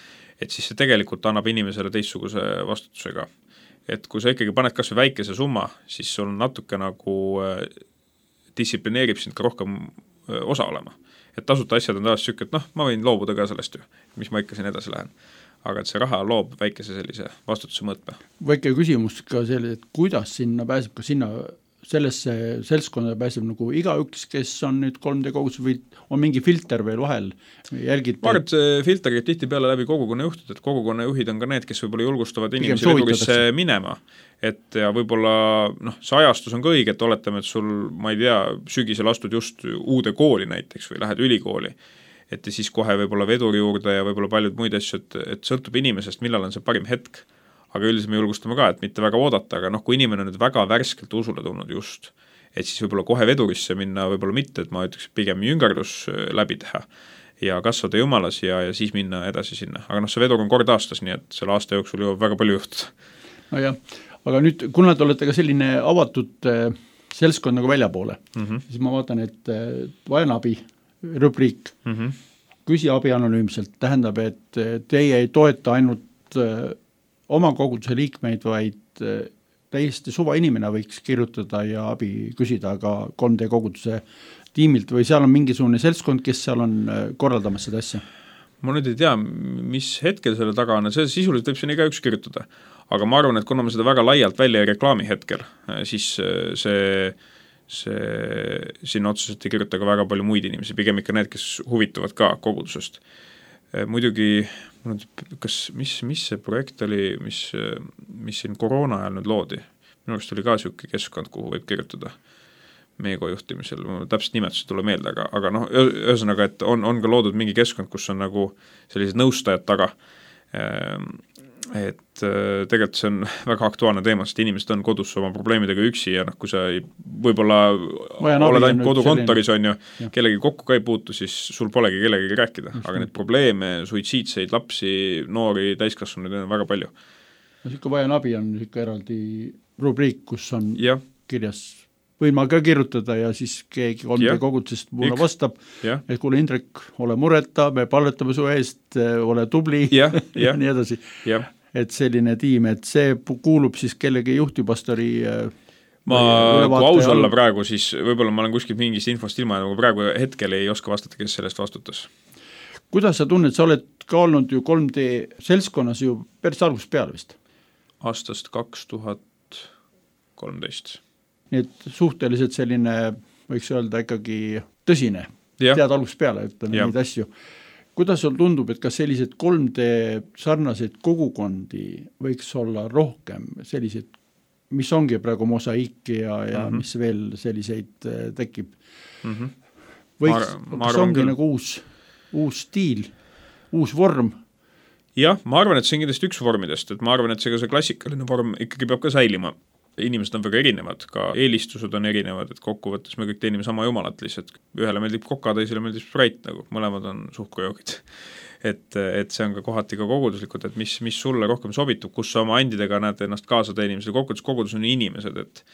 [SPEAKER 3] et siis see tegelikult annab inimesele teistsuguse vastutusega. Et kui sa ikkagi paned kas või väikese summa, siis sul on natuke nagu distsiplineerib sind ka rohkem osa olema. Et tasuta asjad on tavaliselt süük, et noh, ma võin loobuda ka sellest ju, mis ma ikka siin edasi lähen. Aga et see raha loob väikese sellise vastutuse mõõtme.
[SPEAKER 2] Väike küsimus ka selle, et kuidas sinna pääseb, ka sinna sellesse seltskonda pääseb nagu igaüks, kes on nüüd kolm D kogus või on mingi filter veel vahel? Jälgid
[SPEAKER 3] ma arvan, et see filter käib tihti peale läbi kogukonna juhtud, et kogukonna juhid on ka need, kes võib-olla julgustavad inimesi vedurisse minema. Et ja võib-olla noh, see ajastus on ka õige, et oletame, et sul, ma ei tea, sügisel astud just uude kooli näiteks või lähed ülikooli, et ja siis kohe võib-olla veduri juurde ja võib-olla paljud muid asju, et, et sõltub inimesest, millal on see parim hetk. Aga üldiselt me julgustame ka, et mitte väga oodata, aga noh, kui inimene on nüüd väga värskelt usule tulnud just, et siis võib-olla kohe vedurisse minna, võib-olla mitte, et ma ütleks pigem jüngerdus läbi teha ja kasvada jumalas ja, ja siis minna edasi sinna. Aga noh, see vedur on kord aastas, nii et selle aasta jooksul jõuab väga palju juhtuda.
[SPEAKER 2] No jah, aga nüüd, kuna te olete ka selline avatud äh, seltskond nagu väljapoole, mm -hmm. siis ma vaatan, et äh, vajan abi rubriik, mm -hmm. küsi abi anonüümselt, tähendab, et teie ei toeta ainult äh, oma koguduse liikmeid, vaid täiesti suva inimene võiks kirjutada ja abi küsida ka kolm D koguduse tiimilt või seal on mingisugune seltskond, kes seal on korraldamas seda asja?
[SPEAKER 3] Ma nüüd ei tea, mis hetkel selle taga on, see sisuliselt võib siin iga üks kirjutada, aga ma arvan, et kuna me seda väga laialt välja ei reklaami hetkel, siis see, see sinna otseselt ei kirjuta ka väga palju muid inimesi, pigem ikka need, kes huvituvad ka kogudusest. Muidugi, kas, mis, mis see projekt oli, mis, mis siin koroona ajal nüüd loodi? Minu arust oli ka siuke keskkond, kuhu võib kirjutada Meego juhtimisel, täpselt nimetus ei tule meelde, aga, aga noh, ühesõnaga, et on, on ka loodud mingi keskkond, kus on nagu sellised nõustajad taga. Et tegelikult see on väga aktuaalne teema, sest inimesed on kodus oma probleemidega üksi ja noh, kui sa ei, võib-olla oled ainult kodukontoris on ju, ja. Kellegi kokku ka ei puutu, siis sul polegi kellegagi rääkida, aga neid probleeme, suitsiidseid lapsi, noori, täiskasvanuid on väga palju.
[SPEAKER 2] No siuke vajan abi on siuke eraldi rubriik, kus on
[SPEAKER 3] ja.
[SPEAKER 2] Kirjas võin ma ka kirjutada ja siis keegi kolm D kogudusest mulle vastab, ja. Et kuule Indrek, ole mureta, me palvetame su eest, ole tubli
[SPEAKER 3] ja, ja.
[SPEAKER 2] ja nii edasi.
[SPEAKER 3] Ja.
[SPEAKER 2] Et selline tiim, et see kuulub siis kellegi juhtipastori
[SPEAKER 3] ma kui aus olla all... praegu, siis võib-olla ma olen kuskilt mingist infost ilma, aga praegu hetkel ei oska vastata, kes sellest vastutas.
[SPEAKER 2] Kuidas sa tunned, sa oled ka olnud ju kolm D seltskonnas ju päris algusest peale vist?
[SPEAKER 3] Aastast kaks tuhat kolmteist.
[SPEAKER 2] Nii et suhteliselt selline, võiks öelda ikkagi tõsine, ja. Tead algusest peale, ütleme neid asju. Kuidas sul tundub, et kas sellised kolm D sarnaseid kogukondi võiks olla rohkem sellised, mis ongi praegu mosaiiki ja, ja mm -hmm. mis veel selliseid tekib? Mm -hmm. Võiks, ma, kas ongi küll. Nagu uus, uus stiil, uus vorm?
[SPEAKER 3] Jah, ma arvan, et see on kindlasti üks vormidest, et ma arvan, et see, see klassikaline vorm ikkagi peab ka säilima. Inimesed on väga erinevad, ka eelistused on erinevad, et kokkuvõttes me kõik teenime sama jumalat lihtsalt. Ühele meeldib koka, teisele meeldib sprite, nagu mõlemad on suhkrujoogid. et, et see on ka kohati ka koguduslikult, et mis, mis sulle rohkem sobitub, kus sa oma andidega näed ennast kaasa teenimisel, kogudus, kogudus on inimesed, et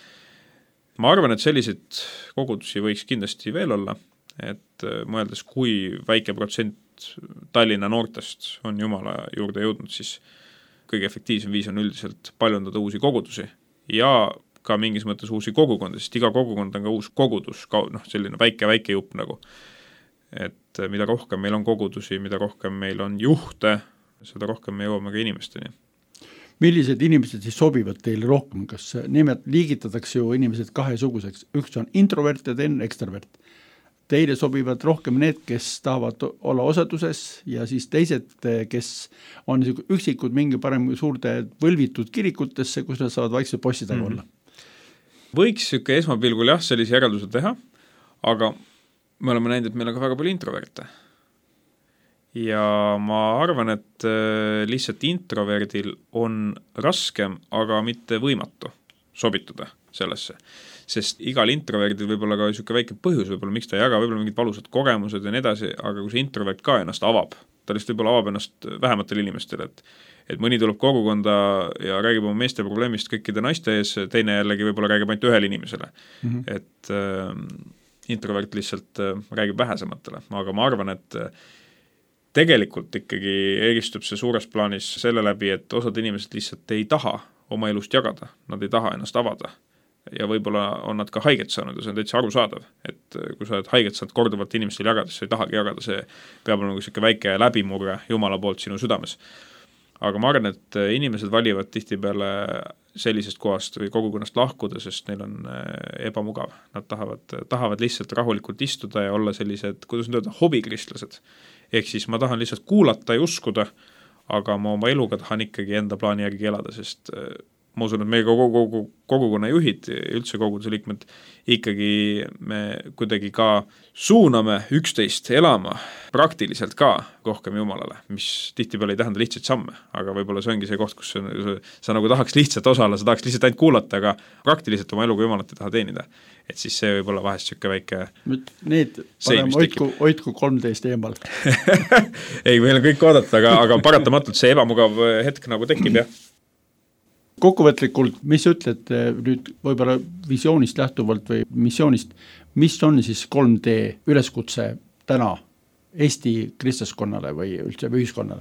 [SPEAKER 3] ma arvan, et selliseid kogudusi võiks kindlasti veel olla, et mõeldes, kui väike protsent Tallinna noortest on Jumala juurde jõudnud, siis kõige efektiivsem viis on üldiselt paljundada uusi kogudusi ja ka mingis mõttes uusi kogukondi, sest iga kogukond on ka uus kogudus, noh, selline väike-väike jupp nagu. Et mida rohkem meil on kogudusi, mida rohkem meil on juhte, seda rohkem me jõuame ka inimesteni.
[SPEAKER 2] Millised inimesed siis sobivad teile rohkem? Kas nimed liigitatakse ju inimesed kahesuguseks? Üks on introvert ja teine ekstrovert. Teile sobivad rohkem need, kes tahavad olla osaduses ja siis teised, kes on üksikud mingi parem suurte võlvitud kirikutesse, kus nad saavad vaikselt possi taga olla.
[SPEAKER 3] Mm-hmm. Võiks süke esmapilgul jah, sellise järelduse teha, aga me oleme näinud, et meil on ka väga palju introverte. Ja ma arvan, et lihtsalt introverdil on raskem, aga mitte võimatu sobituda sellesse. Sest igal introverdil võib olla ka niisugune väike põhjus, võib-olla miks ta ei jaga, võib-olla mingid valusad kogemused ja nii edasi, aga kui see introvert ka ennast avab, ta lihtsalt võib-olla avab ennast vähematel inimestel, et, et mõni tuleb kogukonda ja räägib oma meeste probleemist kõikide naiste ees, teine jällegi võib-olla räägib ainult ühele inimesele. Mm-hmm. Et äh, introvert lihtsalt äh, räägib vähesematele, aga ma arvan, et äh, tegelikult ikkagi eristub see suures plaanis selle läbi, et osad inimesed lihtsalt ei taha oma elust jagada, nad ei taha ennast avada ja võib-olla on nad ka haiget saanud ja see on täitsa arusaadav, et kui sa oled haiget saanud korduvalt inimestel jagada, siis sa ei tahagi jagada, see peab olema niisugune väike läbimurre Jumala poolt sinu südames. Aga ma arvan, et inimesed valivad tihtipeale sellisest kohast või kogukonnast lahkuda, sest neil on ebamugav. Nad tahavad, tahavad lihtsalt rahulikult istuda ja olla sellised, kuidas nüüd öelda, hobikristlased. Ehk siis ma tahan lihtsalt kuulata ja uskuda, aga ma oma eluga tahan ikkagi enda plaani järgi elada, sest ma usun, et meie kogu, kogu, kogukonna juhid, üldse koguduse liikmed, ikkagi me kuidagi ka suuname üksteist elama praktiliselt ka rohkem Jumalale, mis tihtipeale ei tähenda lihtsaid samme, aga võib-olla see ongi see koht, kus sa, sa nagu tahaks lihtsalt osala, sa tahaks lihtsalt ainult kuulata, aga praktiliselt oma eluga Jumalat ei taha teenida. Et siis see võib olla vahest siuke väike
[SPEAKER 2] Need parem hoidku, hoidku kolmteist eemal.
[SPEAKER 3] Ei, meil on kõik oodata, aga, aga paratamatult see ebamugav hetk nagu tekib ja
[SPEAKER 2] kokkuvõtlikult, mis ütled nüüd võib-olla visioonist lähtuvalt või missioonist, mis on siis kolm D üleskutse täna Eesti kristlaskonnale või üldse ühiskonnale?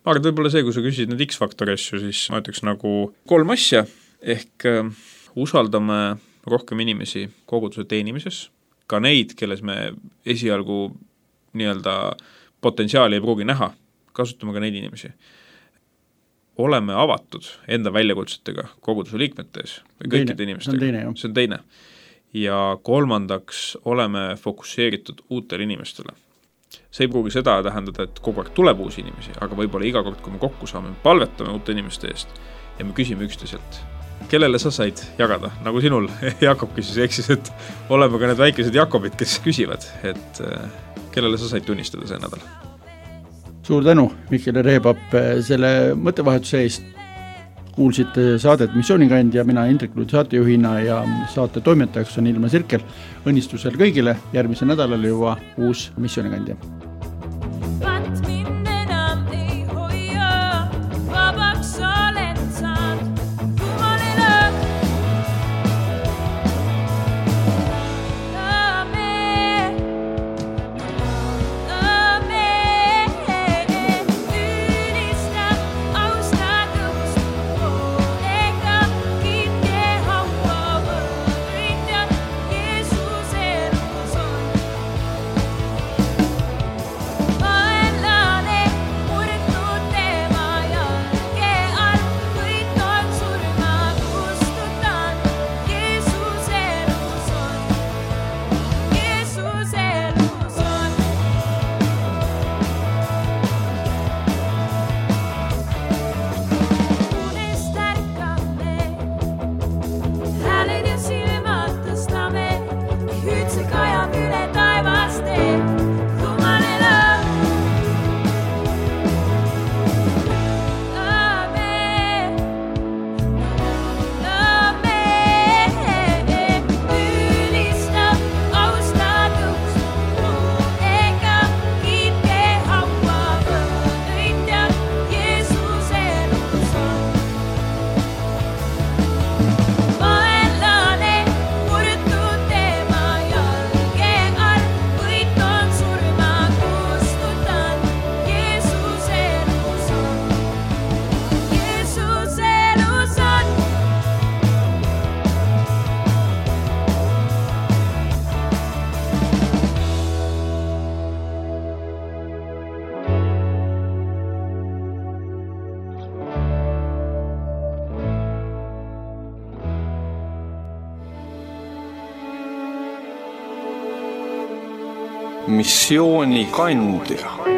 [SPEAKER 3] Ma arvan, võib-olla see, kui sa küsisid need X-faktori asju, siis ma ütleks nagu kolm asja, ehk äh, usaldame rohkem inimesi koguduse teenimises, ka neid, kelles me esialgu nii-öelda potentsiaali ei pruugi näha, kasutame ka neid inimesi. Oleme avatud enda väljakutsetega koguduse liikmete ees või kõikide inimestega.
[SPEAKER 2] See on teine,
[SPEAKER 3] see on teine. Ja kolmandaks oleme fokusseeritud uutele inimestele. See ei pruugi seda tähendada, et kogu aeg tuleb uusi inimesi, aga võib-olla iga kord, kui me kokku saame, palvetame uute inimeste eest ja me küsime üksteiselt, kellele sa said jagada, nagu sinul Jakob küsis, eksis, et oleme ka need väikesed Jakobid, kes küsivad, et kellele sa said tunnistada see nädal.
[SPEAKER 2] Suur tänu, Mikkel Reebap, selle mõttevahetuse eest. Kuulsite saadet Missioonikandja, mina Indrek Luud saatejuhina ja saate toimetajaks on Ilma Sirkel. Õnnistusel kõigile, järgmise nädalal juba uus Missioonikandja.
[SPEAKER 1] missioonikandja.